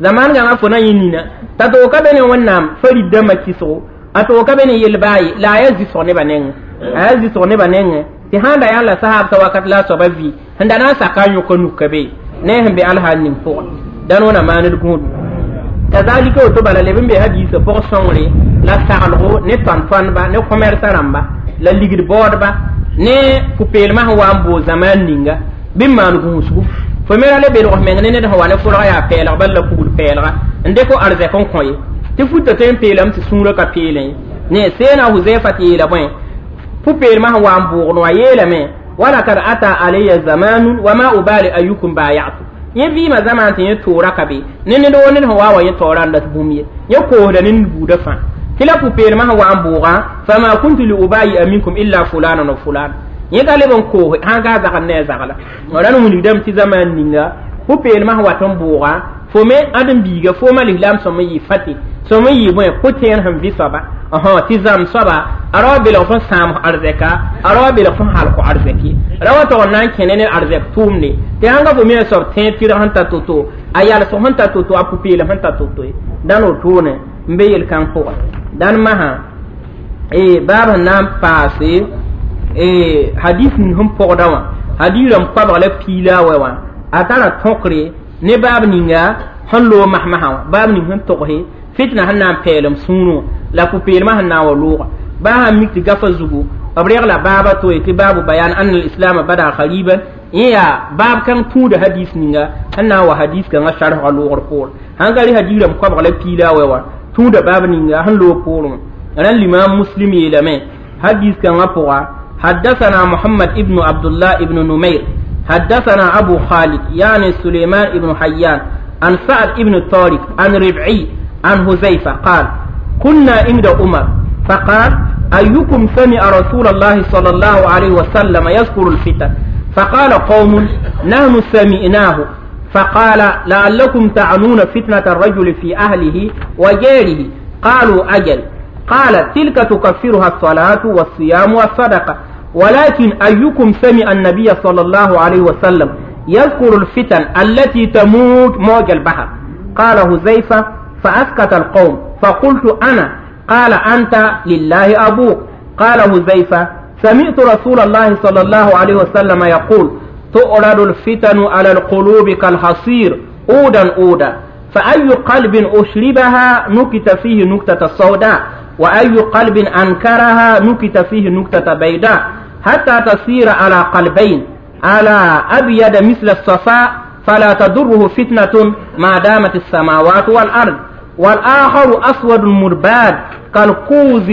zaman gãngã fo na yẽ nina t'a toog ka be ne Wẽnnaam farid dãmbã kɩsgo a toog ka be ne yel baa ye la a yaa zɩsg nebã nengẽ a yaa zɩsg nebã nengẽ tɩ sãn da yaa la sahaabtã wakat la a soaba vɩ sẽn da na n saka a yõka nuk ka be ne sẽn be alhaal ning pʋgẽ dãn wẽna maaned gũudum kazalika woto bala leb n be hadiisã pʋg sõngre la saglgo ne tõnd-tõndba ne comɛrsã rãmba la ligd baoodba ne pʋ-peelmã sẽn wa n boog zamaan ninga bɩ n maan gũusgu fo me ra le belg f meng ne ned sẽn wa ne fʋlg yaa pɛɛlg bal la kugd pɛɛlga n dɩk arzɛk n kõ ye tɩ futa tõe n peelame tɩ sũurã ka peelẽ ye ne seena Huzaifa tɩ yeela bõe pʋ-peelmã sẽn wa n boogd wã yeelame walakad ata alayya zamanun wa ma ubali ayukum bayatu yẽ vɩɩmã zamaan tɩ yẽ toora ka be ne ned woo ned sẽn wa wa yẽ taoora n dat bũmb ye yẽ koosda ne ned buudã fãa tɩ la pʋ-peelmã sẽn wa n bʋʋgã fama kuntu li ubayi'a minkum illa fulanan wa fulan yẽ ka leb n koose sãn ka zagl ne a zagla rãn wilgdame tɩ zamaan ninga pʋ-peelmã sẽn wat n bʋʋga fo me ãdem-biiga fooma lislaam sõm n yɩ fati sõm n yɩ bõe pʋ-tẽer sẽn vɩ soaba tɩ zãmb soaba a ra wa belg fõ sãam arzɛka a ra wa belg fõ halk arzɛk ye ra wa tog n na n kẽne ne arzɛk tʋʋmde tɩ sãn ka fo me a soab tẽed tɩrg sẽn ta to-to a yalsg sẽn ta to-to a pʋ-peelem sẽn ta to-to ye dãn wotone n be yel-kãng pʋgẽ dãn masã baab sẽn na n paase hadis ning sẽn pɔgda wã hadis rãmb koabg la piila a wɛ wã a tara tõkre ne baab ninga sẽn loog masmasã wã baab ning sẽn togse fitna sẽn na n peelem sũurẽ wã la pʋ-peelmã sẽn na n wa looga baa sãn mik tɩ gafa zugu b regla baaba to tɩ baabu bayan anna al-islam bada khariban yẽ yaa baab kãng tũuda hadis ninga sẽn na n wa hadis kãngã sarfga loogr poor sãn ka rɩ hadis rãmb koabg la piila a wɛ wã tũuda baab ninga sẽn loog poorẽ wã rãn limam Muslim yeelame hadis kãngã pʋga حدثنا محمد ابن عبد الله ابن نمير حدثنا أبو خالد يعني سليمان ابن حيان عن سعد ابن طارق عن ربعي عن هزيفة قال كنا عند عمر فقال أيكم سمع رسول الله صلى الله عليه وسلم يذكر الفتن فقال قوم نحن سمعناه فقال لعلكم تعنون فتنة الرجل في أهله وجاره قالوا أجل قال تلك تكفرها الصلاة والصيام والصدقة ولكن أيكم سمع النبي صلى الله عليه وسلم يذكر الفتن التي تموج موج البحر قال هزيفة فأسكت القوم فقلت أنا قال أنت لله أبوك قال هزيفة سمعت رسول الله صلى الله عليه وسلم يقول تؤرد الفتن على القلوب كالحصير أودا أودا فأي قلب أشربها نكت فيه نكتة السوداء وأي قلب أنكرها نكت فيه نكتة بيضاء حتى تصير على قلبين على أبيض مثل الصفاء فلا تضره فتنة ما دامت السماوات والأرض والآخر أسود مرباد كالقوز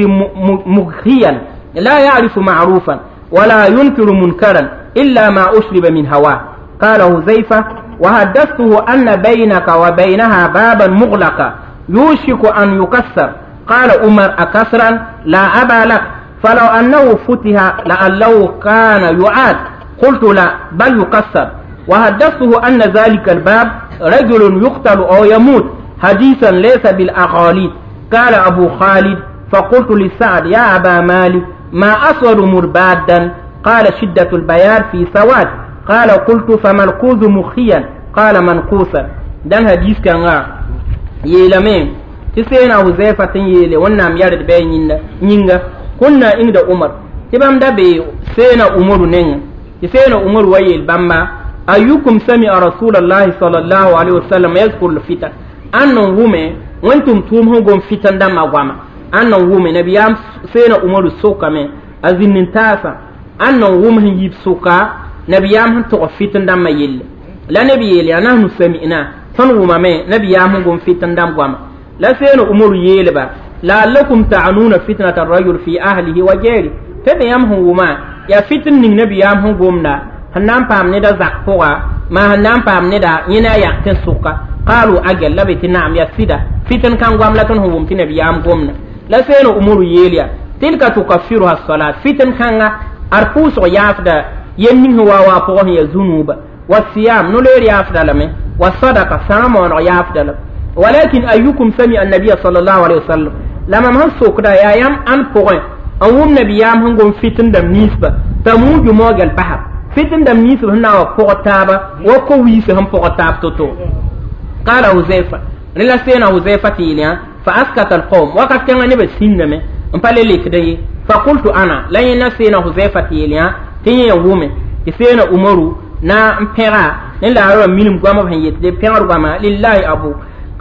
مغخيا لا يعرف معروفا ولا ينكر منكرا إلا ما أشرب من هواه قال هزيفة وحدثته أن بينك وبينها بابا مغلقا يوشك أن يكسر. قال عمر أكسرا؟ لا أبا لك، فلو أنه فتح لعله كان يعاد. قلت لا بل يكسر. وحدثته أن ذلك الباب رجل يقتل أو يموت حديثا ليس بالأغاليط. قال أبو خالد فقلت لسعد يا أبا مالك ما أسود مربادا؟ قال شدة البياض في سواد. قال قلت فما القوز مخيا؟ قال منقوصا. دان حديث كان يلمين تسينا وزيفة يلي ونام يرد بين نينغا كنا عند عمر تبام دبي سينا عمر نينغا تسينا عمر ويل بامبا أيكم سمع رسول الله صلى الله عليه وسلم يذكر الفتن أنه هم وانتم تومهم قم فتن دم أقواما أنه هم نبيام سينا عمر السوكا أزين تاسا أنه هم يب سوكا نبيام هم تغ فتن دم يل لا نبي يلي نحن سمعنا تنوما ما نبيام هم قم فتن دم أقواما لا سينا عمر يلبا لعلكم تعنون فتنة الرجل في أهله وجاره تبيام هم يا فتن نبيام هم قمنا هنام بام ندا زقفوا ما هنام بام ندا ينا يقتن سوكا. قالوا أجل لبيت نعم يا سيدا فتن كان قام لتن هو متنا بيام قمنا لا سين أمور يليا تلك تكفرها الصلاة فتن كان أرفوس ويافدا يمين هو وافقه يزنوب والصيام نولير يافدا لمن والصدقة سامون ويافدا لم. ولكن أيكم سمع النبي صلى الله عليه وسلم لما من سوكدا يا يام أن بوين أوم نبيام هم قم فتن دم نسبة تموج موج البحر فتن دم نسبة هنا وفوق تابا وكويس هم فوق تاب توتو. قال حذيفة نلا سينا حذيفة تيليا فأسكت القوم وقت كان نبي سينما امبالي لك فقلت أنا لا ينسينا حذيفة تيليا تيني وومي تسينا أمرو نا امبرا نلا أرى منهم قام بهيت دي بيرا قام لله أبو.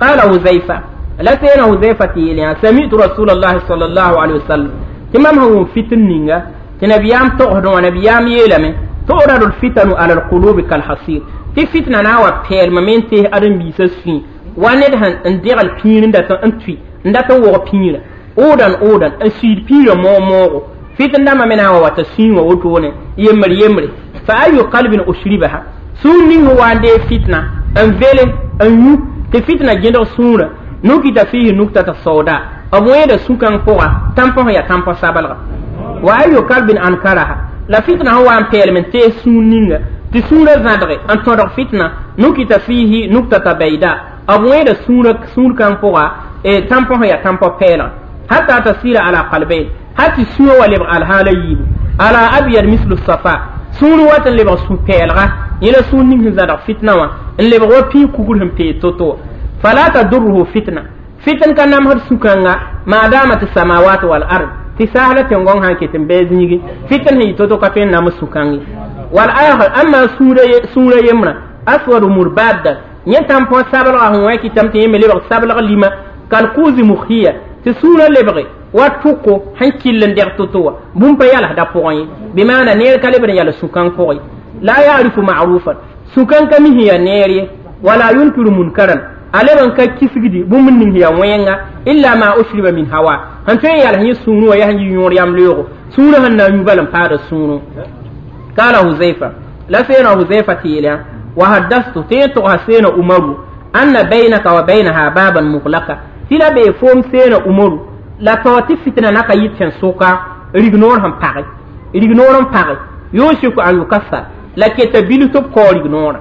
قال حذيفة لا سينا حذيفة تيليا سمعت رسول الله صلى الله عليه وسلم تمام هو فتن نينغا تنبيام تقهدون ونبيام يلمي تعرض الفتن على القلوب كالحصير تي فتنة ناوى بيل ممين تيه أدن بيسس في واند هن اندير البيرن داتا انتوي انداتا وغ بيرن أودن أودن انسيد بيرن مو مو فتن داما مناوى واتسين ووتوني يمر يمر فأي قلب أشربها سون هو عندي فتنة انفيل انيو تي فتنة جندر سونة نكتة فيه نكتة السوداء أبوين سوكان فوغا تامبون يا تامبون سابلغ وأي قلب أنكرها لا فتنة هو أن بيل من تي سونينغ تي سونة زادري أن تودر فتنة نكتة فيه نكتة بيضاء أبوين سونة سون كان فوغا تامبون يا تامبون بيلا حتى تصير على قلبين حتى سونة ولبغ الحالة يب على أبيض مثل الصفاء سونة واتن لبغ سون بيلغا يلا سونينغ زادر فتنة إن لبغ بي كوكولهم بي توتو فلا تضره فتنة فتن كان نمهر سوكانغا ما دامت السماوات والأرض تساهلة تنغون هان كتن بيزنيجي فتن هي توتو كفين نام سوكانغي والآخر أما سورة سورة يمنا أسود مربادا ينتم بو سابلغ هو كي تمتي يملي بغ سابلغ لما كالكوز مخية تسورة لبغي واتوكو هان كيلن دير توتو بومبا يالا دا بوغي بمعنى نير كالبن يالا سوكان كوي لا يعرف معروفا سوكان كمي هي نيري ولا ينكر منكرا ألبن كيسجدي بومن هي وينغا إلا ما أشرب من هوا هنتين يالا هي سونو يا هي يور يام ليرو سونو هن يبالن بار سونو. قال حذيفة لا سينا حذيفة تيلا وحدثت تيتو سينا عمر أن بينك وبينها بابا مغلقا تلا بيفوم سينا عمر لا توتي فتنة نكا يتشن سوكا ريغنور هم باغي ريغنور هم باغي يوشك أن يكسر لكي تبيلو تب كو ريغنور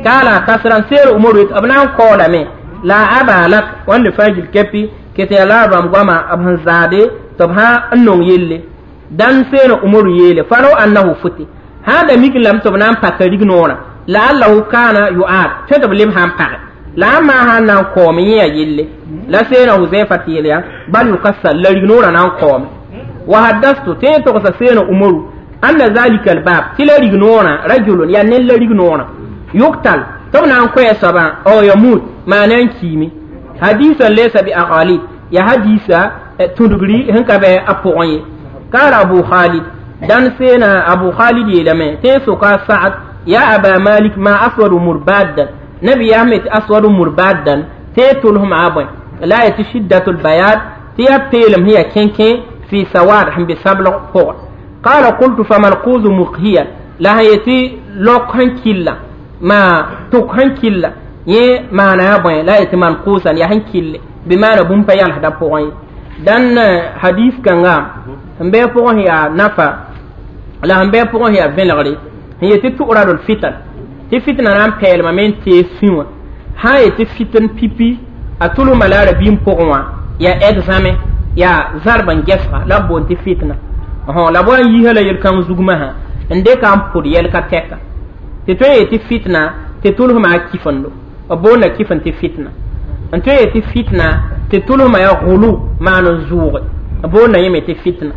قال كسران سير أمور أبناء قول مي لا أبا لك وان فاجل كبي كتي لا بام غما أبن زادي تبها أنون يلي دان سير أمور يلي فلو أنه فتي هذا ميك لم تبنام باكريك نورا لعله كان يعاد تدب لم هم باك لا ما هنا قومي يلي لا سير حذيفة يلي بل يكسر لريك نورا نان قومي وحدثت تيتو سير أمور أن ذلك الباب تلريك نورا رجل يعني لريك نورا يقتل طبعا كوي سبا او يموت ما نانكيمي حديثا ليس بأغالي يا حديثا تندغري هنكا بي ابوغي قال ابو خالد دان سينا ابو خالد يلمي تيسو سعد يا ابا مالك ما اسود مربادا نبي يامت اسود مربادا تيتلهم عبا لا يتشدة البياض تيبتلم هي كينكين في سواد هم بسبل فوق. قال قلت فما القوز مقهية لا يتي لوك هنكيلا ما توك هنكيلا يه ما نابين لا يتي منقوصا يا هنكيل Bɩ maana bũmb pa yalsda pʋgẽ ye. Dãn hadis kãnga sẽn bɩ pʋgẽ yaa nafa la sẽn bɩ pʋgẽ yaa vẽlgre sẽn yet tɩ tʋ'radl fitan tɩ fitna na n peelmame n tees fĩ wã sã n yet tɩ fitn pipi a tʋlsma la a rabiim pʋgẽ wã yaa examen yaa zarb n gɛsga la b boond tɩ fitna la b wa n yiisa la yel-kãng zugmã sã n dɩka n pʋd yɛl ka tɛka tɩ tõe n yet tɩ fitna tɩ tʋlsma a kifendo b boonda kifn tɩ fitna n tõe n yet tɩ fitna tɩ tʋlsma yaa gulu maan n zʋʋge b boonda yẽme tɩ fitna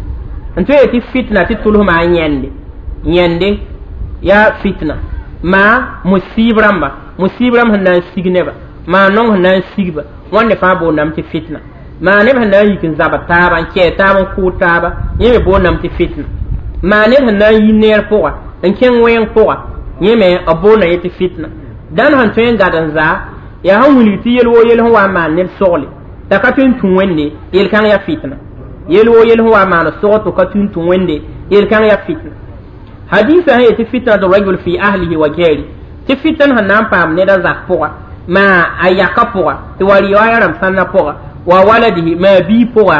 n tõe n yet tɩ fitna tɩ tʋlsma a yẽnde yẽnde yaa fitna maa musiib rãmba musiib rãmb sẽn na n sig neba maa nong sẽn na n sigba wãnde fãa boondame tɩ fitna maa neb sẽn na n yik n zab taaba n kɛɛ taaba n kʋʋd taaba yẽ me boondame tɩ fitna maa ned sẽn na n yi neer pʋga n kẽng wẽng pʋga yẽ me b boonda yẽ tɩ fitna dãn sẽn tõe n gad n zaa yaa sẽn wilg tɩ yel woo yel sẽn wa n maan ned sogle t'a ka tõe n tũ wẽnde yel-kãng yaa fitna yel woo yel sẽn wa n maan sog tɩ ka tõe n tũ wẽnde yel-kãng yaa fitna hadisa sẽn yetɩ fitnat rajul fi ahlihi wa jari tɩ fitn sẽn na n paam ned a zak pʋga maa a yaka pʋga tɩ wa riwaaya rãmb sãnna pʋga wa waladihi maa bii pʋga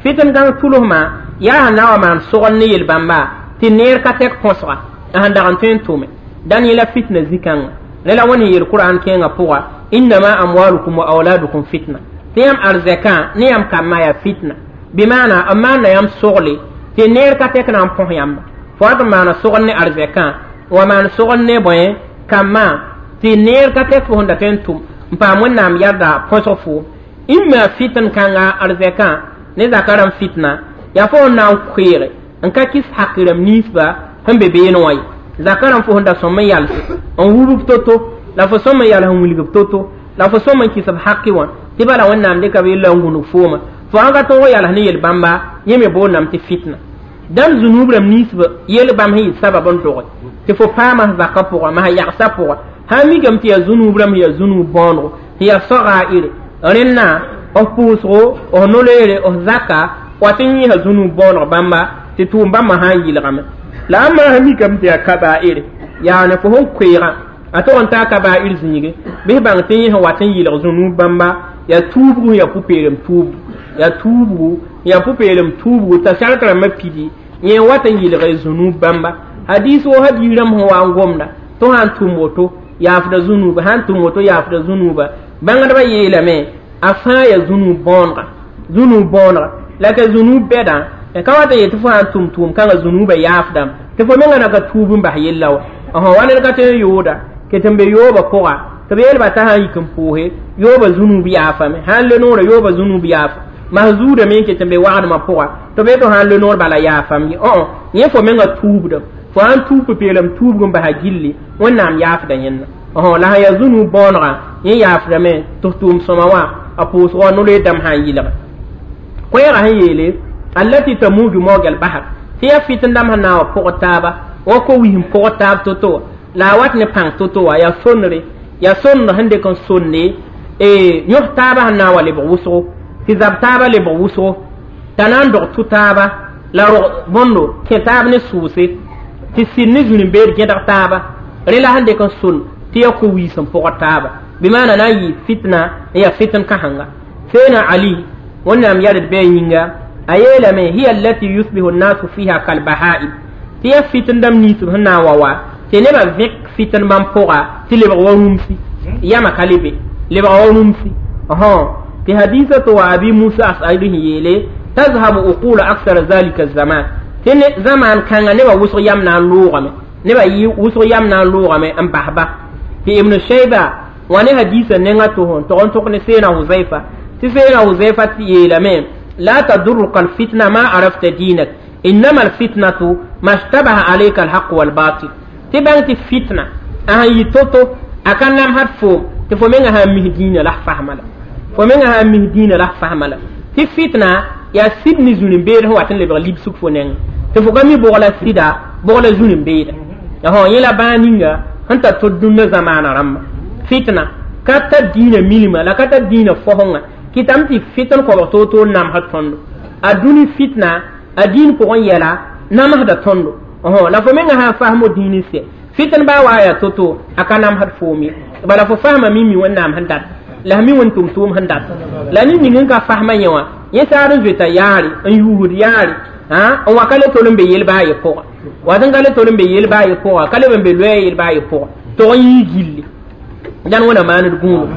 fitn gãng tʋlsmã yaa sẽn na wa maan sogl ne yel-bãmba tɩ neer ka tɛk põsga a sẽn dag n tõe n tʋme dãn yẽla fitna zĩ-kãngã ne la wẽnd sẽn yel Qur'an kẽengã pʋga innama amwalukum wa auladukum fitna tɩ yãmb arzɛkã ne yãmb kambã yaa fitna bɩ maana n maanda yãmb sogle tɩ neer ka tɛk na n põs yãmba fo wat n maana sogl ne arzɛkã wa maan sogl ne bõe kambã tɩ neer ka tɛk fo sẽn da tõe n tʋm n paam wẽnnaam yarda põsg foom imma fitn kãnga arzɛkã ne zaka rãmb fitna yaa fo sẽn na n koeege n ka kɩs hak rãmb ninsba sẽn be beene wã ye zaka rãmb fo sẽn da sõm n yals n wub to-to la fo sõm n yals n wilg to-to la fo sõm n kɩs b haki wã tɩ bala wẽnnaam dɩka b yella n gũnug fooma fo sãn ka tõog yals ne yel-bãmba yẽ me boondame tɩ fitna dãmb zunub rãmb ninsb yel-bãmb sẽn yɩ sabab n doge tɩ fo paama zakã pʋga masã yagsã pʋga sã n mikame tɩ yaa zunub rãmb yaa zunub bõonego sẽn yaa soga-ire rẽnna f pʋʋsgo f no-loeere f zaka wat n yẽesa zunub bõoneg bãmba tɩ tʋʋm bãmba sã n yɩlgame la a maa mikame tɩ yaa kabaa'ire yaa ne fo sẽn koeegã a tog n taa kabaa'ir zĩige bɩs bãng tɩ yẽ sẽn wat n yɩlg zunub bãmba yaa tuubgu yaa pʋ-peelem tuubgu yaa tuubgu yaa pʋ-peelem tuubgu t'a sark rãmbã pidi yẽ wat n yɩlg zunub bãmba hadis wo hadis rãmb sẽn wa n gomda tɩ sã n tʋm woto yaafda zunuba sã n tʋm woto yaafda zunuba bãngdbã yeelame a fãa yaa zunub bõonega zunub bõonega la ka zunub bɛdã ka wat n yet tɩ fo sã n tʋm tʋʋm kãngã zunuba yaafdame tɩ fo menga na ka tuub n bas yella wa wa ned ka tõe n yooda ket n be yooba pʋga tɩ b yeelba t'a sã n yik n pʋʋse yooba zunub yaafame sã n le noorã yooba zunub yaafa mas zuudame n ket n be wagdmã pʋga tɩ b yet sã n le noor bala yaafam ye õ yẽ fo menga tuubdame fo sã n tuub pʋ-peelem tuubg n basa gilli wẽnnaam yaafda yẽnna la sã yaa zunub bõonegã yẽ yaafdame tɩ tʋʋm sõma wã a pʋʋsgɔ no-loe dãmb sã n yɩlga koɛɛgã sẽn yeele allati tamuju mawj al-bahr tɩ yaa fitn dãmb sẽn na n wa pʋgd taaba wa ko-wis n pʋgd taab to-to wã la a wat ne pãng to-to wã yaa sonre yaa sonr sẽn dɩk n sonde yõs taaba sẽn na n wa lebg wʋsgo tɩ zab taaba lebg wʋsgo t'a na n dog tʋ taaba la rog bõndo kẽ taab ne sʋʋse tɩ sɩd ne zũrim-beed gẽdg taaba rẽ la sẽn dɩk n son tɩ yaa ko-wiis n pʋgd taaba bɩ maana na n yɩ fitna n yaa fitn kãsenga seena ali wẽnnaam yɛld bɩ a yĩnga a yeelame hiya allati yusbihu nnasu fiha kalbahaib tɩ yaa fitn dãmb ninsb sẽn na n wa wa tɩ nebã vẽk fitn bãmb pʋga tɩ lebg wa rũmsi yãma ka le be lebg wa rũmsi tɩ hadisa tɩ wa abi musa asari sẽn yeele tazhabu uqulu aksara zalika zaman tɩ zamaan kãnga nebã wʋsg yam na n loogame nebã wʋsg yam na n loogame n basba tɩ ibn shayba wã ne hadisa nengã tɩ sẽn tog n tʋk ne seena huzaifa tɩ seena huzaifa tɩ yeelame la tadurruka alfitna ma arafta dinak innama alfitnatu ma shtabaha alayka alhaq walbatil tɩ bãng tɩ fitna a sẽn yɩ to-to a ka namsd foom tɩ fo menga sã n mis dĩinã la f fasma la fo menga sã n mis dĩinã la f fasma la tɩ fitna yaa sɩd ne zũnim-beed sẽn wat n lebg libsg fo nengẽ tɩ fo ka mi bʋg la sɩda bʋg la zũnim-beeda yẽ la bãag ninga sẽn tar tʋd dũnna zamaana rãmba fitna ka tar dĩinã milma la ka tar dĩinã fosengã kɩtame tɩ fitn koabg toor-toor namsd tõndo a dũni fitna a dĩin pʋgẽ yɛla namsda tõndo la fo menga sã n fasmo dĩin sɛ fitn baa wa yaa to-to a ka namsd foom ye bala fo fasma mi mi wẽnnaam sẽn dat La mi wẽn tʋm tʋʋm sẽn dat la ne ning n ka fasma yẽ wã yẽ saad n zoeta yaare n yuusd yaare n wa ka le tol n be yel-ba a ye pʋga wat n ka le tol n be yel-ba a ye pʋga ka leb n be loɛɛ yel-ba a ye pʋga tog n yii gilli dãn wẽna maand gũudo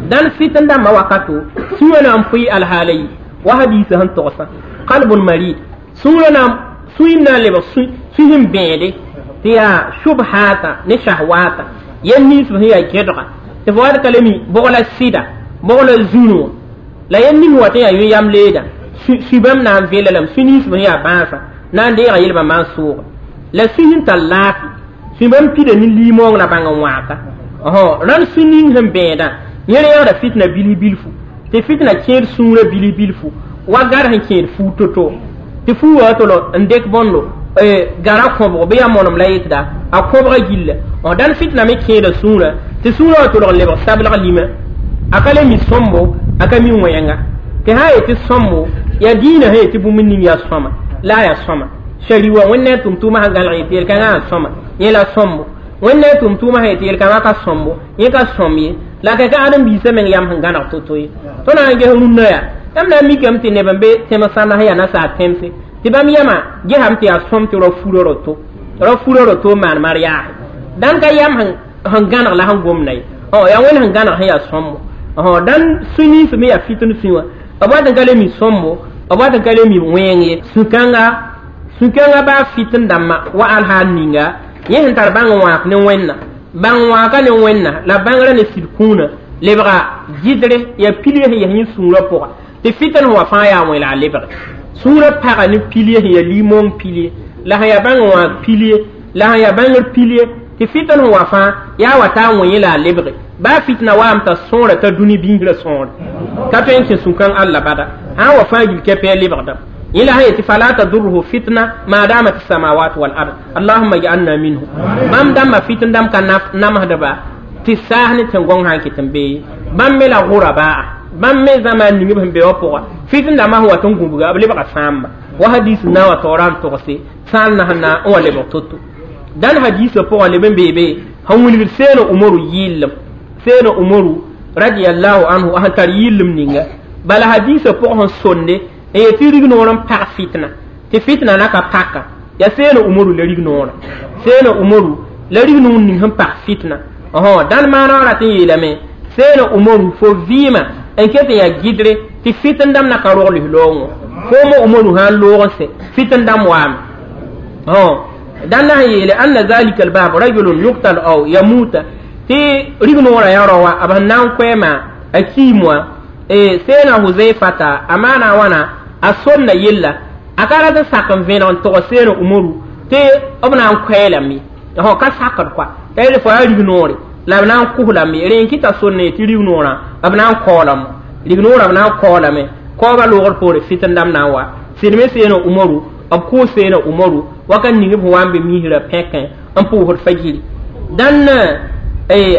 dãn fitn dãmbã wakato sũurã na n pʋɩ alhaala yi wa hadiisã sẽn togsã qalbun marid sũurã na sũyim na n lebg sũ sẽn bẽede tɩ yaa shubhata ne shahwata yel nins sẽn yaa gẽdga tɩ fo wat ka le mi bʋg la sɩda bʋg la zũnu la yel ning wa tɩ yaa yũ yam leeda sũ bãmb na n vela lame sũ nins sẽn yaa bãasã na n deega yelbã maan sʋʋga la sũ sẽn tar laafɩ sũ bãmb pida ne liimoong la bãng n wãaka rãnd sũ ning sẽn bẽedã yẽ reegda fitna bilf bilfu tɩ fitna kẽed sũurã bilf bilfu wa gar sẽn kẽed fuu to-to tɩ fuu wa tolo n dek bõndo gara kõbg bɩ yaa monem la yetda a kõbga gilla dãn fitna me kẽeda sũurã tɩ sũurã wa tolg n lebg sablg lima a ka le mi sõmbo a ka mi wẽnga tɩ sã n yetɩ sõmbo yaa dĩinã sẽn yetɩ bũmb ning yaa sõma la a yaa sõma shari wa wẽnd ne a tʋm-tʋʋmã sẽn gãlg yetɩ yel-kãngã yaa sõma yẽ la sõmbo wẽnd ne a tʋm-tʋʋmã sẽn yetɩ yel-kãngã ka sõmbo yẽ ka sõm ye la ka ka ãdem-biisã meng yam sẽn gãneg to-to ye tõnd na n ges rũnnã yaa yãmb na n mikame tɩ neb n be tẽms sãnnas yaa nasaar tẽmse tɩ bãmb yãma gesame tɩ yaa sõm tɩ rao furã roto rao furã roto n maan mar yaase dãn ka yam sẽn gãneg la sẽn gomda ye yaa wẽnd sẽn gãneg sẽn yaa sõmbo dãn sũ nins me yaa fitn sũ wã b wat n ka le mi sõmbo b wat n ka le mi wẽeng ye sũ-kãnga sũ-kãngã baa fitn dãmbã wa alhaal ninga yẽ sẽn tar bãng n wãak ne wẽnna bãng wãaka ne wẽnna la bãngrã ne sɩd kũunã lebga gɩdre yaa pilie sẽn yɛs yẽ sũurã pʋga tɩ fitn sẽn wa fãa yaa wẽ la a lebge sũurã paga ne pilie sẽn yaa limong pilie la sẽn yaa bãng n wãak pilie la sẽn yaa bãngr pilie tɩ fitn sẽn wa fãa yaa wa taa wẽ la a lebge baa fitna waam t'a sõora t'a dũni biisrã sõore ka tõe n kẽ sũ-kãng alla bada sã n wa fãa gil kɛpɛ a lebgdame yẽ la sẽn yetɩ fala tadurruhu fitna ma damat samawat wal ard allahumma ij'alna minhu bãmb dãmbã fitn dãmb ka namsdba tɩ saas ne tẽn-gõng sã n ket n bee bãmb me la gʋrabaa bãmb me zãma n ning b sẽn be wã pʋga fitn dãmbã sẽn wat n gũbga b lebga sãamba wa hadis na wa taoora n togse sãal na sẽn na n wa lebg to-to dãn hadisã pʋgã leb n beebe sẽn wilgd seena umaru yɩllem seena umaru radiallahu anhu sẽn tar yɩllem ninga bala hadisã pʋgã sẽn sonde n yetɩ rig-noor n pag fitna tɩ fitna na ka paka yaa seena umaru la rig-noorã seena umaru la rig-noor ning sẽn pag fitna dãn maana rat n yeelame seena umaru fo vɩɩmã n ket n yaa gɩdre tɩ fitn dãmb na ka rog lis-loongõ fooma umaru sã n loog n sẽ fitn dãmb waame dãn na sẽn yeele anna zalika albab rajulun yuktal aw yamuta tɩ rig-noorã yaa rao wã b sẽn na n koɛɛma a kiim wã seena huzaifata a maana a wãna a somda yella a ka rat n sak n vẽneg n tog seena umaru tɩ b na n koɛɛlame ka sakd koa t'a yeel fo yaa rig-noore la b na n kos lame rẽ n kɩta sonne tɩ rig-noorã b na n kaoolame rig-noorã b na n kaoolame kaooba loogr poore fitn dãmb na n wa sɩd me seena umaru b kʋʋ seena umaru wakat ning b sẽn wa n be misrã pẽkẽ n pʋʋsd fajiri dãn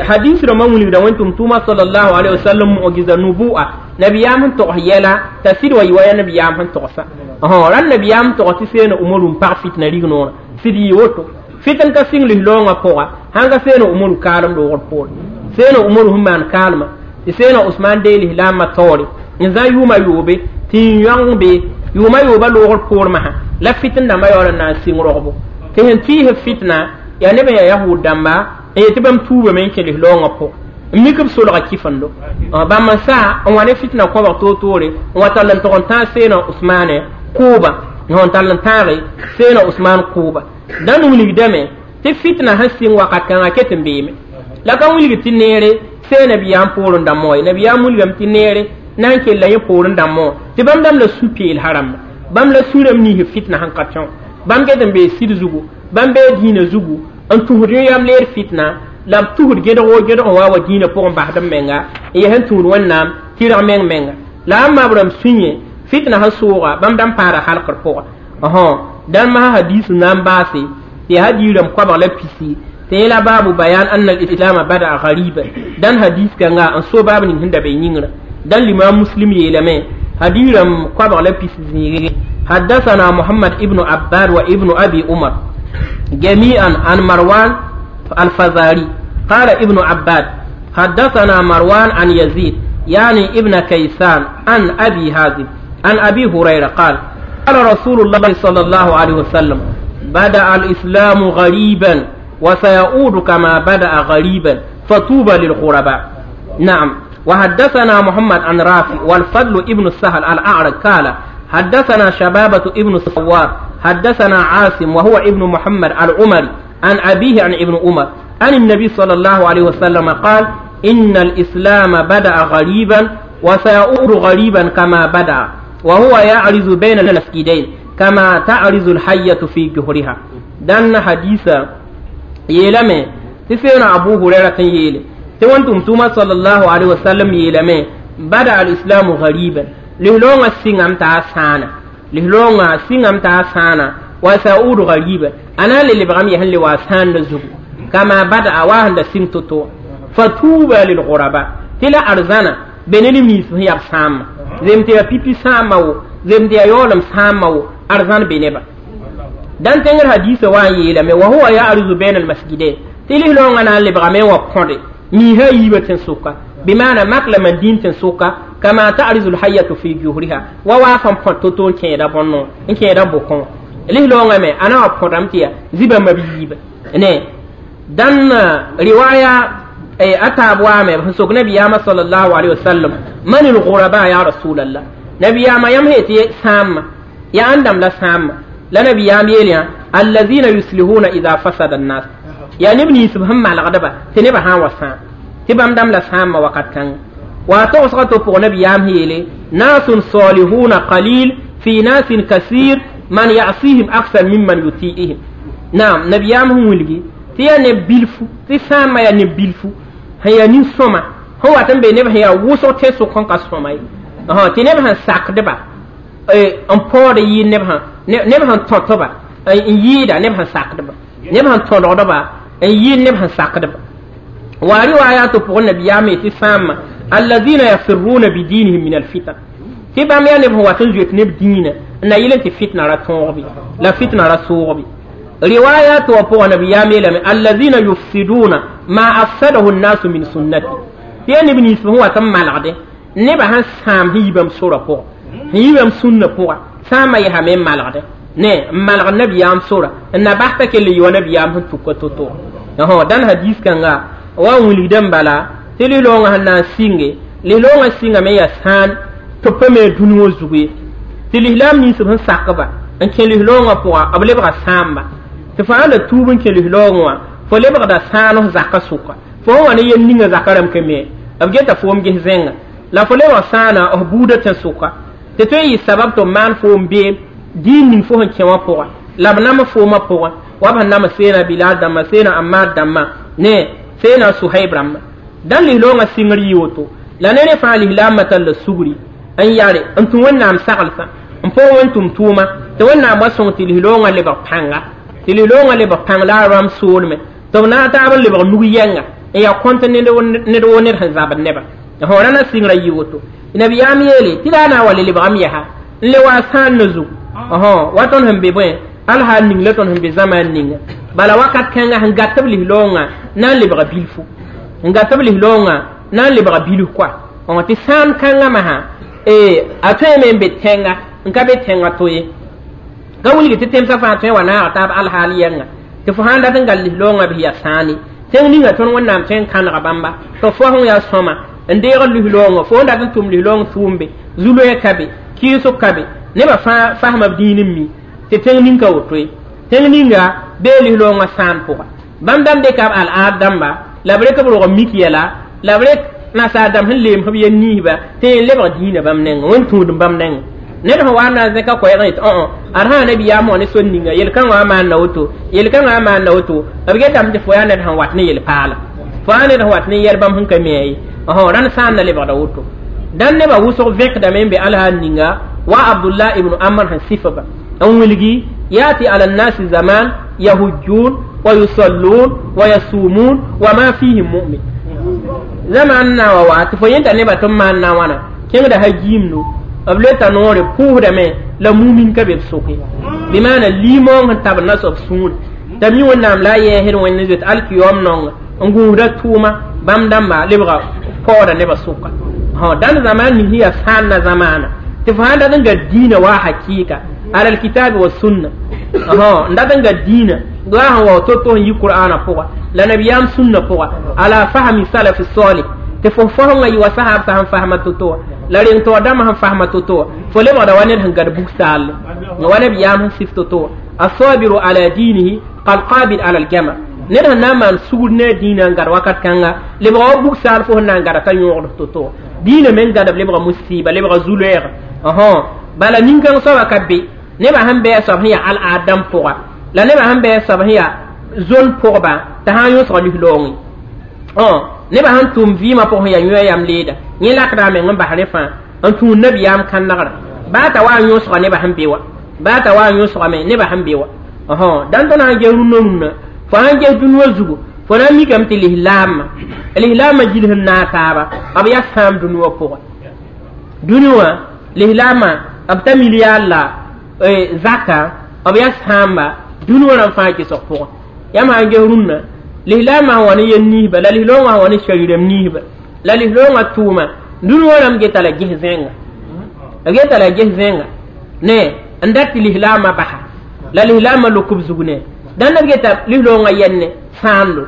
hadis rãmbã wilgda wẽn tʋm-tʋʋmã sallallahu alaihi wasallam mu'jiza nubu'a nabiyaam sẽn togs yɛla t'a sɩd wa yɩ wa yaa nabiyaam sẽn togsa rãnd nabiyaam sẽn togs tɩ seena umaru n pag fitna rig-noorã sɩd yɩ woto fitn ka sɩng lis-loongã pʋga sãn ka seena umaru kaalem loogr poore seena umaru sẽn maan kaalmã tɩ seena usman dee lislaambã taoore n zã yʋʋma yoobe tɩ n yõng be yʋʋma yoobã loogr poor masã la fitn dãmbã yaool n na n sɩng rogbo tɩ sẽn tɩɩsb fitna yaa neb n yaa yahud dãmba n yetɩ bãmb tuubame n kẽ lis-loongã pʋgẽ n mik b solga kifendo bãmb n saa n wa ne fitna kõbg toor-toore n wa tall n tog n tãag seena usmane kʋʋba n tall n tãage seena usman kʋʋba dãn wilgdame tɩ fitna sẽn sɩng wakat kãngã ket n beeme la ka wilg tɩ neere see nabiyaam poorẽ dãmbã wa ye nabiyaam wilgame tɩ neere na n kella yẽ poorẽ dãmbã wã tɩ bãmb dãmb la sũ-peel rãmba bãmb la sũ-rãmb niisb fitna sẽn ka tõe bãmb ket n bee sɩd zugu bãmb bee dĩinã zugu n tũsd yõ yam leer fitna la b tũsd gẽdgo gẽdg n wa wa dĩinã pʋgẽ basd b menga n yaa sẽn tũud wẽnnaam tɩrg meng menga la a ma b rãmb sũ-yẽ fitna sẽn sʋʋga bãmb dãmb paada halkr pʋga dãn masã hadis na n baase tɩ hadiirãmb koabg la pisi tɩ yẽ la baabu bayan anna al-islama bada'a ghariban dãn hadis kãnga n so baab ning sẽn da be yĩngrã dãn limam muslim yeelame hadiirãmb koabg la pis zĩige حدثنا محمد ابن عباد وابن أبي عمر جميعا عن مروان الفزاري قال ابن عباد حدثنا مروان عن يزيد يعني ابن كيسان عن أبي هازم عن أبي هريرة قال قال رسول الله صلى الله عليه وسلم بدأ الإسلام غريبا وسيعود كما بدأ غريبا فطوبى للغرباء. نعم. وحدثنا محمد عن رافع والفضل ابن السهل الأعرج قال حدثنا شبابة ابن سوار حدثنا عاصم وهو ابن محمد العمري عن أبيه عن ابن عمر عن النبي صلى الله عليه وسلم قال إن الإسلام بدأ غريبا وسيعود غريبا كما بدأ وهو يعرز بين المسجدين كما تعرز الحية في جحرها. دان حديثا يلمي تسينا أبو هريرة يلي تونتم توما صلى الله عليه وسلم يلمي بدأ الإسلام غريبا لهلونغ سينغام تاسانا لهلونغ سينغام تاسانا وسيعود غريبا أنا اللي بغم يهن لواسان نزغ كما بدأ واهن سين توتو فتوبى للغرباء تلا أرزانا بنلي ميس هي سام زمتي بيبي سامو زمتي يولم سامو أرزان بنبا دان تنجر حديث وان يلمي وهو يعرض بين المسجدين تلي لونغ أنا اللي بغم وقندي ميها يبتن سوكا بمعنى مقل من دين تنسوكا كما تعرض الحية في جوهرها ووافن بطوتون كيدا بونو إن كيدا بوكون ليه لونغ مي أنا أبقرم تيا زيبا مبيب نه دان رواية أي أتاب وامي بسوك نبي ياما صلى الله عليه وسلم من الغرباء يا رسول الله نبي ياما يمهي سام يا عندم لا سام لا نبي يام يليا الذين يسلهون إذا فسد الناس يا نبني سبهم مع الغدبة تنبه ها وسام تبام دم لا سام وقت كان واتوسغتو بو نبي يام هيلي ناس صالحون قليل في ناس كثير من يعصيهم أكثر ممن يطيعهم. نعم نبي يام هم ولغي تي نبيلفو تي سام يا نبيلفو هي نين سوما هو تنبي نبي هي وسو تيسو كون كاسوما اه تي نبي هن ساك دبا اي ان بود يي نبي هن نبي هن توتوبا اي ييدا نبي هن ساك دبا نبي هن تولودبا اي يي نبي هن ساك دبا وروايات بو نبي يام تي سام الذين يفرون بدينهم من الفتن تي بام يا نبي هو تنجوت نب دين na yelen ti fitna ra tõogbi la fitna ra soogbi riwayat wa po nabi yamela alladhina yufsiduna ma afsadahu an-nas min sunnati ti ne bin ismu wa tam malade ne ba han sam hibam sura po hibam sunna po sama ya me malade ne malg nabi yam sura na bahta ke li wa nabi yam tukko to to ho dan hadis kanga wa wuli bala ti li longa hanna singe li longa singa me ya san to peme dunwo zugi ti lihlam ni sub sakba an ke lihlonga poa able ba samba ti fa ala tubun ke lihlonga fo le ba da sano zaka suka fo wani yen ninga zakaram ke me abgeta fo mge zenga la fo le ba sana o buda tan suka te to yi sabab to man fo mbe din nin fo han kewa poa la nama fo ma poa wa ban nama sena bilal dama sena ammar dama ne sena suhaib ram dan lihlonga singri yoto la nene fa lihlam matal sugri an yare an tun wannan sagalsa n po wen tum tuma te wẽnnaam wa sõng tɩ lislonga lebg pãnga tɩ lislonga lebg pãng la a rãmb soolme tɩ b na n taab n lebg nug yɛnga n yaa kõnt ned woo ned sẽn zabd neba fo ra na sɩngrã yɩ woto nabiyaam yeele tɩ la a na n wa le lebgame yaa n le wa sãan ne zugu wa tõnd sẽn be bõe alhaal ning la tõnd sẽn be zamaan ninga bala wakat kãnga sẽn gat b lislonga na n lebga bilfu n gat b lislonga na n lebga bilf koa tɩ sãan kãngã masã a tõeme n be tẽnga n ka be tẽngã to ye ka wilgi tɩ tẽmsã fãa tõe wa naag taab alhaal yɛnga tɩ fo sãn dat n gal lislonga bɩ yaa sãane tẽng ninga tõnd wẽnnaam tõe n kãnega bãmba tɩ fo sẽn yaa sõma n deeg lislonga fo n dat n tʋm lislong tʋʋmbe zu-loɛɛ ka be kɩɩsg ka be nebã fãa fasma b dĩin n mi tɩ tẽng ning ka woto ye tẽng ninga bee lislongã sãan pʋga bãmb dãmb dɩka b al-aad dãmba la b rek b rog mik yɛla la b rek nasaar dãmb sẽn leem b yen niisba tɩ yẽ lebg dĩinã bãmb nengẽ wẽn-tũud bãmb nengẽ ned sẽn wa na zẽka koɛɛg yetɩ õ ad sã nabiyaam wã ne sor ninga yel-kãngã wã maanda woto yel-kãngã wã maanda woto b getame tɩ fo yaa ned sẽn wat ne yel-paala fo yaa ned sẽn wat ne yɛl bãmb sẽn ka mi ye rãnd sãan na lebgda woto dãn nebã wʋsg vẽkdame n be alhaal ninga wa abdullah ibn amr sẽn sɩf ba n wilgi yati ala nnasi zaman yahujjun wa yusallun wa yasumun wa ma fihim mu'min zaman na wa wa tɩ fo yẽnda nebã tɩ b maan na wãna kẽngda ha giimdo b le t'a noore pʋʋsdame la mumin ka be b sʋke bɩmaana liimoong sẽn tab na soab sũur t'a mi wẽnnaam la a yɛɛsd wẽnd zoet alkiyom nonga n gũusda tʋʋma bãmb dãmba lebga paooda nebã sʋka Ha dan zaman ni hiya sanna zamana tɩ fo sãn dat n gad dĩinã wa hakɩɩka ala alkitabi wa sunna n dat n gad dĩinã wa sẽn wao to-to n yi qur'ana pʋga la nabiyaam sũnna pʋga ala fahmi salafi salih tɩ fo fasẽngã yɩ wa sahabsã sẽn fasma to-to wã la reng taoor dãmbã sẽn fasma to-to wã fo lebgda wa ned sẽn gad bug-saalle wa nabiyaam sẽn sif to-to wã asabiru ala dinihi kalqabid ala aljamar ned sẽn na n maan sugr ne a dĩinã n gad wakat kãnga lebga wa bug-saal fo sẽn na n gada t'a yõogd to-to wã dĩinã meng gãdb lebga musiba lebga zu-loɛɛga bala nin-kãng soaba ka be nebã sẽn bɩ a soab sẽn yaa al-aadam pʋga la nebã sẽn bɩ a soab sẽn yaa zon pʋgba t'a sã n yõsg lis-loongẽ nebã sẽn tʋm vɩɩmã pʋgẽ yaa yõ yam leeda yẽ lakda a meng n bas rẽ fãa n tũud nabiyaam kãnegra baa t'a wa n yõsga nebã sẽn be wa baa t'a wa n yõsgame nebã sẽn be wa dãn tõnd sãn ges rũnnã rũnnã fo sãn ges dũniyã zugu fo na n mikame tɩ lislaamã lislaamã gils n naag taaba b yaa sãam dũniyã pʋgẽ dũni wã lislaamã b ta milliard la zaka b yaa sãamba dũni wã rãmb fãa gesg pʋgẽ yãmb sãn ges rũnnã lislaamã sẽn wa ne yel niisba la lislaoongã sẽn wa ne sharirem niisba la lislaoongã tʋʋma dũni wã rãmb geta la ges zẽnga geta la ges zẽnga ne n dat tɩ lislaamã basa la lislaamã lok b zug ne dãnd b geta lislaoongã yɛnne sãando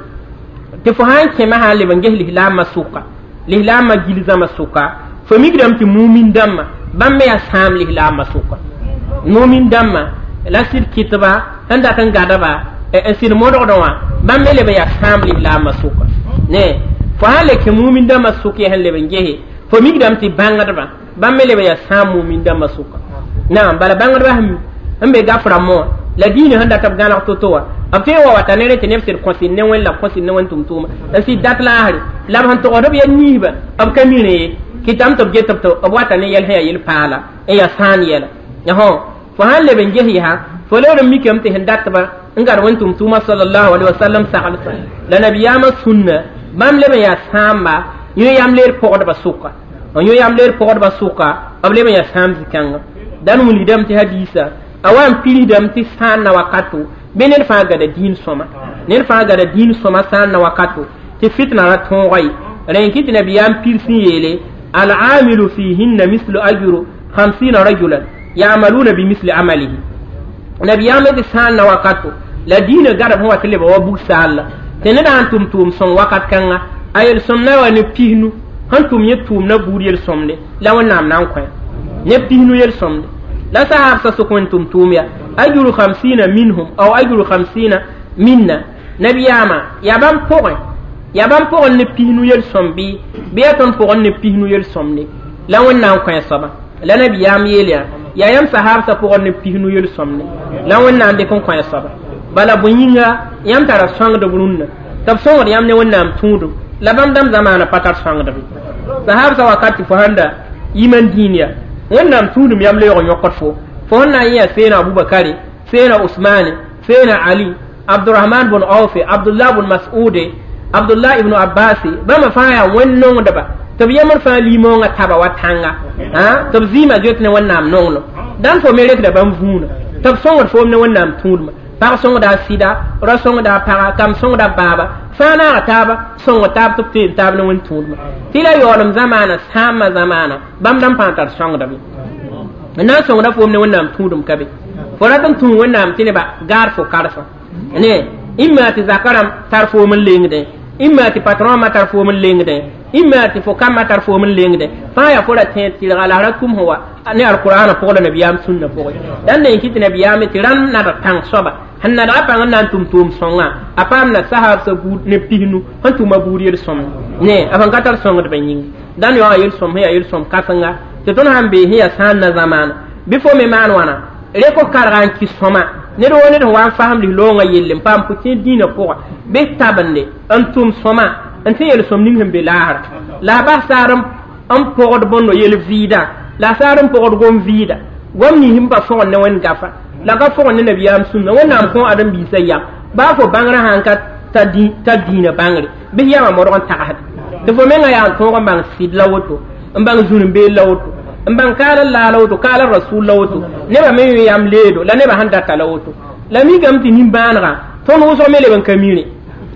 tɩ fo sãn kẽma sã n leb n ges lislaamã sʋka lislaamã gil zãma sʋka fo mikdame tɩ mumin dãmbã bãmb me yaa sãam lislaamã sʋka mumin dãmbã la sɩd kɩtba sẽn dat n gadba n sɩd modgdẽ wã bãmb me leb n yaa sãam lislaamã sʋka ne fo sãn le kẽ mumin dãmbã sʋk yaa sẽn leb n gese fo mikdame tɩ bãngdbã bãmb me leb n yaa sãam mumin dãmbã sʋka naam bala bãngdbã sẽn be gaf rãmbã wã la dĩinã sẽn dat b gãneg to-to wã b tõe n wa wata ne rẽ tɩ neb sɩd kõsɩd ne wẽn la b kõsɩd ne wẽn tʋm-tʋʋma n sɩd dat laasre la b sẽn togsd b yɛl niisba b ka mi rẽ ye kɩtame tɩ b get b tɩ b wata ne yɛl sẽn yaa yel-paala n yaa sãan yɛla fo sãn leb n ges yaa fo lebd n mikame tɩ sẽn datba n gad wẽn tʋm-tʋʋma salallahu alaihi wasallam saglsã la nabiyaamã sũnna bãmb leb n yaa sãamba yõ yam leer pɔgdbã sʋka n yõ yam leer pɔgdbã sʋka b leb n yaa sãam zĩ-kãnga dãn wilgdame tɩ hadiisa a wa n pirsdame tɩ sãan na wakato bɩ ned fãa gada dĩin sõma ned fãa gada dĩin sõma sãan na wakato tɩ fitna ra tõoga ye rẽ kɩ tɩ nabiyaam pirs n yeele alamilu fihinna mislu ajru hamsina rajulan yamaluna bimisli amalihi nabiyaam tɩ sãan na wakato la dĩinã gadb sẽn wa tɩ lebga wa bug-saalla tɩ ned sãn tʋm tʋʋm sõng wakat kãnga a yel-sõmdã wa ne pisnu sẽn tʋm yẽ tʋʋmdã buud yel-sõmde la wẽnnaam na n kõ ne pisnu yel-sõmde la sahabsã sʋk wẽn tʋm tʋʋm ya ajru hamsina minhum aw ajru hamsina minna nabiyaamã yaa bãmb pʋgẽ yaa bãmb pʋgẽ ne pisnu yel-sõm bɩ bɩ yaa tõnd pʋgẽ ne pisnu yel-sõmde la wẽnnaam kõ a soaba la nabiyaam yeel yaa yaa yãmb sahabsã pʋgẽ ne pisnu yel-sõmde la wẽnnaam dɩk n kõ a soaba bala bõe yĩnga yãmb tara sõngdb rũnnã tɩ b sõngd yãmb ne wẽnnaam tũudum la bãmb dãmb zamaana pa tar sõngdb sahabsã wakat tɩ fo sãn da yiman dĩin ya wẽnnaam tũudum yam la yaoog yõkd fo fo sẽn na n yã seena abubakare seena usmane seena ali abdurahman bn aufe abdullah bn masude abdullah ibnu abbase bãmba fãa yaa wẽn-nongdba tɩ b yemd fãa limoongã taba wa tãnga tɩ b zɩɩmã zoet ne wẽnnaam nonglem dãn fo me rekda bãmb vũuna tɩ b sõngd foom ne wẽnnaam tũudmã pag sõngda a sɩda ra sõngda a paga kam sõngda baaba fãa naaga taaba sõng taab tɩ b teen taab ne wẽn tũudmã tɩ la yaoolem zamaana sãambã zamaana bãmb dãmb pãa tar sõngdb n na n sõngda foom ne wẽnnaam tũudum ka be fo rat n tũu wẽnnaam tɩ nebã gaar fo karsã ne imma tɩ zaka rãmb tar foom n lengdẽ imma tɩ patron ma tar foom n lengdẽ imma tɩ fo kambã tar foom n lengdẽ fãa yaa fo ra tẽed tɩrga la ra tʋm sẽn wa ne alqur'ana pʋgẽ la nabiyaam sũnna pʋgẽ dãn ne n kɩ tɩ nabiyaam tɩ rãmb nadg pãng soaba sẽn nadga pãng n na n tʋm tʋʋm sõngã a paam na sahabsã buud ne pisnu sẽn tʋma buud yel-sõmd ne a sẽn ka tar sõngdbã yĩng dãn yaoogã yel-sõm sẽn yaa yel-sõm kãsenga tɩ tõnd sãn bee sẽn yaa sãan na zamaana bɩ fo me maan wãna rek karga n kɩ sõma ned wo ned sẽn wa n fasem lislaoongã yelle n paam pʋ-tẽed dĩinã pʋga bɩ tabende n tʋm sõma n tɩ yel-sõm ning sẽn be laasra la a bas saar n pɔgd bõndo yel-vɩɩdã la a saar n pɔgd gom-vɩɩda gom nins n pa fõgd ne wẽnd gafa la ka fõgd ne nabiyaam sũnna wẽnnaam kõ ãdem-biisã yam baa fo bãngrã sãn ka ta dĩinã bãngre bɩ yamã modg n tagsd tɩ fo mengã yaa n tõog n bãng sɩd la woto n bãng zũn-beel la woto n bãng kaal n laa la woto kaal n rasul la woto nebã me yõ yam leedo la nebã sẽn data la woto la mikame tɩ nimbãanegã tõnd wʋsg me leb n ka mire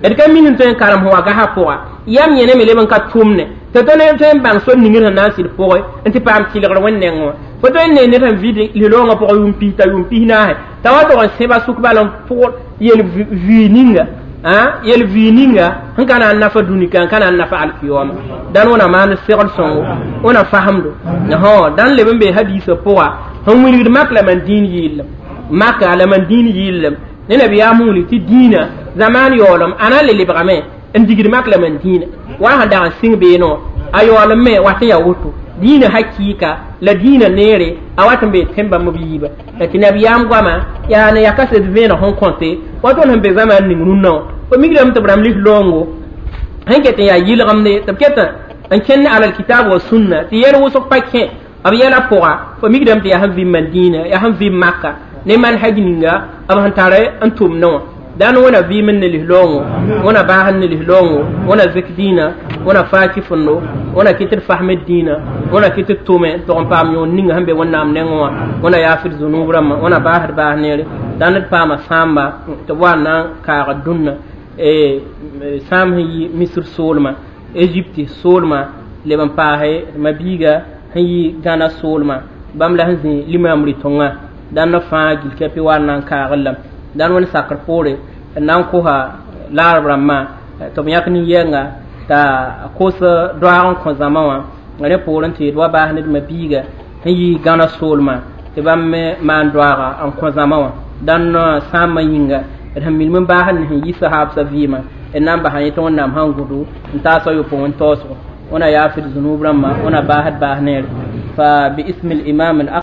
d ka min n tõe n karem sẽn wa gasã pʋga yam yẽne me leb n ka tʋmne Tɩ tõnd tõe n bãng sor ning d sẽn na n sɩd pʋgẽ n tɩ paam tɩlgr wẽnd nengẽ wã. Fo tõe n ne ned sẽn vɩd li-loongã pʋgẽ yʋʋm pis-tã, yʋʋm pis-naase, t'a wa tog n sẽba sʋk bal n pʋgd yel vɩɩ ninga, yel vɩɩ ninga sẽn ka na n nafa dũni ka n ka na n nafa alkiyoma. Dãn wẽna maan segl sõngo, wẽna fasemdo dãn leb n bee hadiisã pʋga sẽn wilgd mak la man dĩin yɩllem, maka la man dĩin yɩllem ne nabiyaam wilg tɩ dĩinã zamaan yaoolem a na n le lebgame n digd mak la man dĩinã wa sẽn dag n sɩng beene wã a yaoolem me wat n yaa woto dĩinã hakɩɩka la dĩinã neere a wat n bee tẽn bãmb b yiiba la tɩ nabiyaam goama yaa ne yaa kaset vẽeneg sẽn kõte wa tõnd sẽn be zamaan ning rũnnã wã. Fo mikdame tɩ b rãmb lis-loongo sẽn ket n yaa yɩlgemde tɩ b ket n kẽnd alal kitab wa sunna tɩ yɛl wʋsg pa kẽ b yɛla pʋga. Fo mikdame tɩ yaa sẽn vɩ man dĩinã, yaa sẽn vɩ maka ne manhaj ninga b sẽn tar n tʋmdẽ wã. Dãn wẽna vɩɩm n ne lis-loongo, wẽna baas n ne lis-loongo, wẽna zik dĩinã, wẽna faaki fõndo, wẽna kɩt d fasmd dĩinã, wẽna kɩt d tʋme n tog n paam yõor ninga sẽn be Wẽnnaam nengẽ wã, wẽna yaafd zunub rãmbã, wẽna baasd baas neere. Dãn d paama sãamba tɩ b wa n na n kaagd dũnna sãam sẽn yi Misr soolmã, Egypte soolmã, leb n paase ma-biiga sẽn yi Gãna soolmã, bãmb la sẽn zĩ limam rɩ-tõngã. Dãnd fãa gilkɛpɩ wa n na n kaagd lame. Dãn wẽnd sakr poore n na n kosa laarb rãmbã tɩ b yãk nin-yɛnga t'a kos doaag n kõ zãma wã. Rẽ poorẽ tɩ d wa baas ned ma-biiga sẽn yi Gãna soolmã tɩ bãmb me maan doaaga n kõ zãma wã. Dãn sãambã yĩnga d sẽn milm n baasd ne sẽn yi sahaabsã vɩɩmã d na n basa yẽ tɩ Wẽnnaam sãn gũdu n taasa yopoe n taoosgo. Wẽna yaafd zunub rãmbã, wẽna baasd baas neere fa باسم الإمام.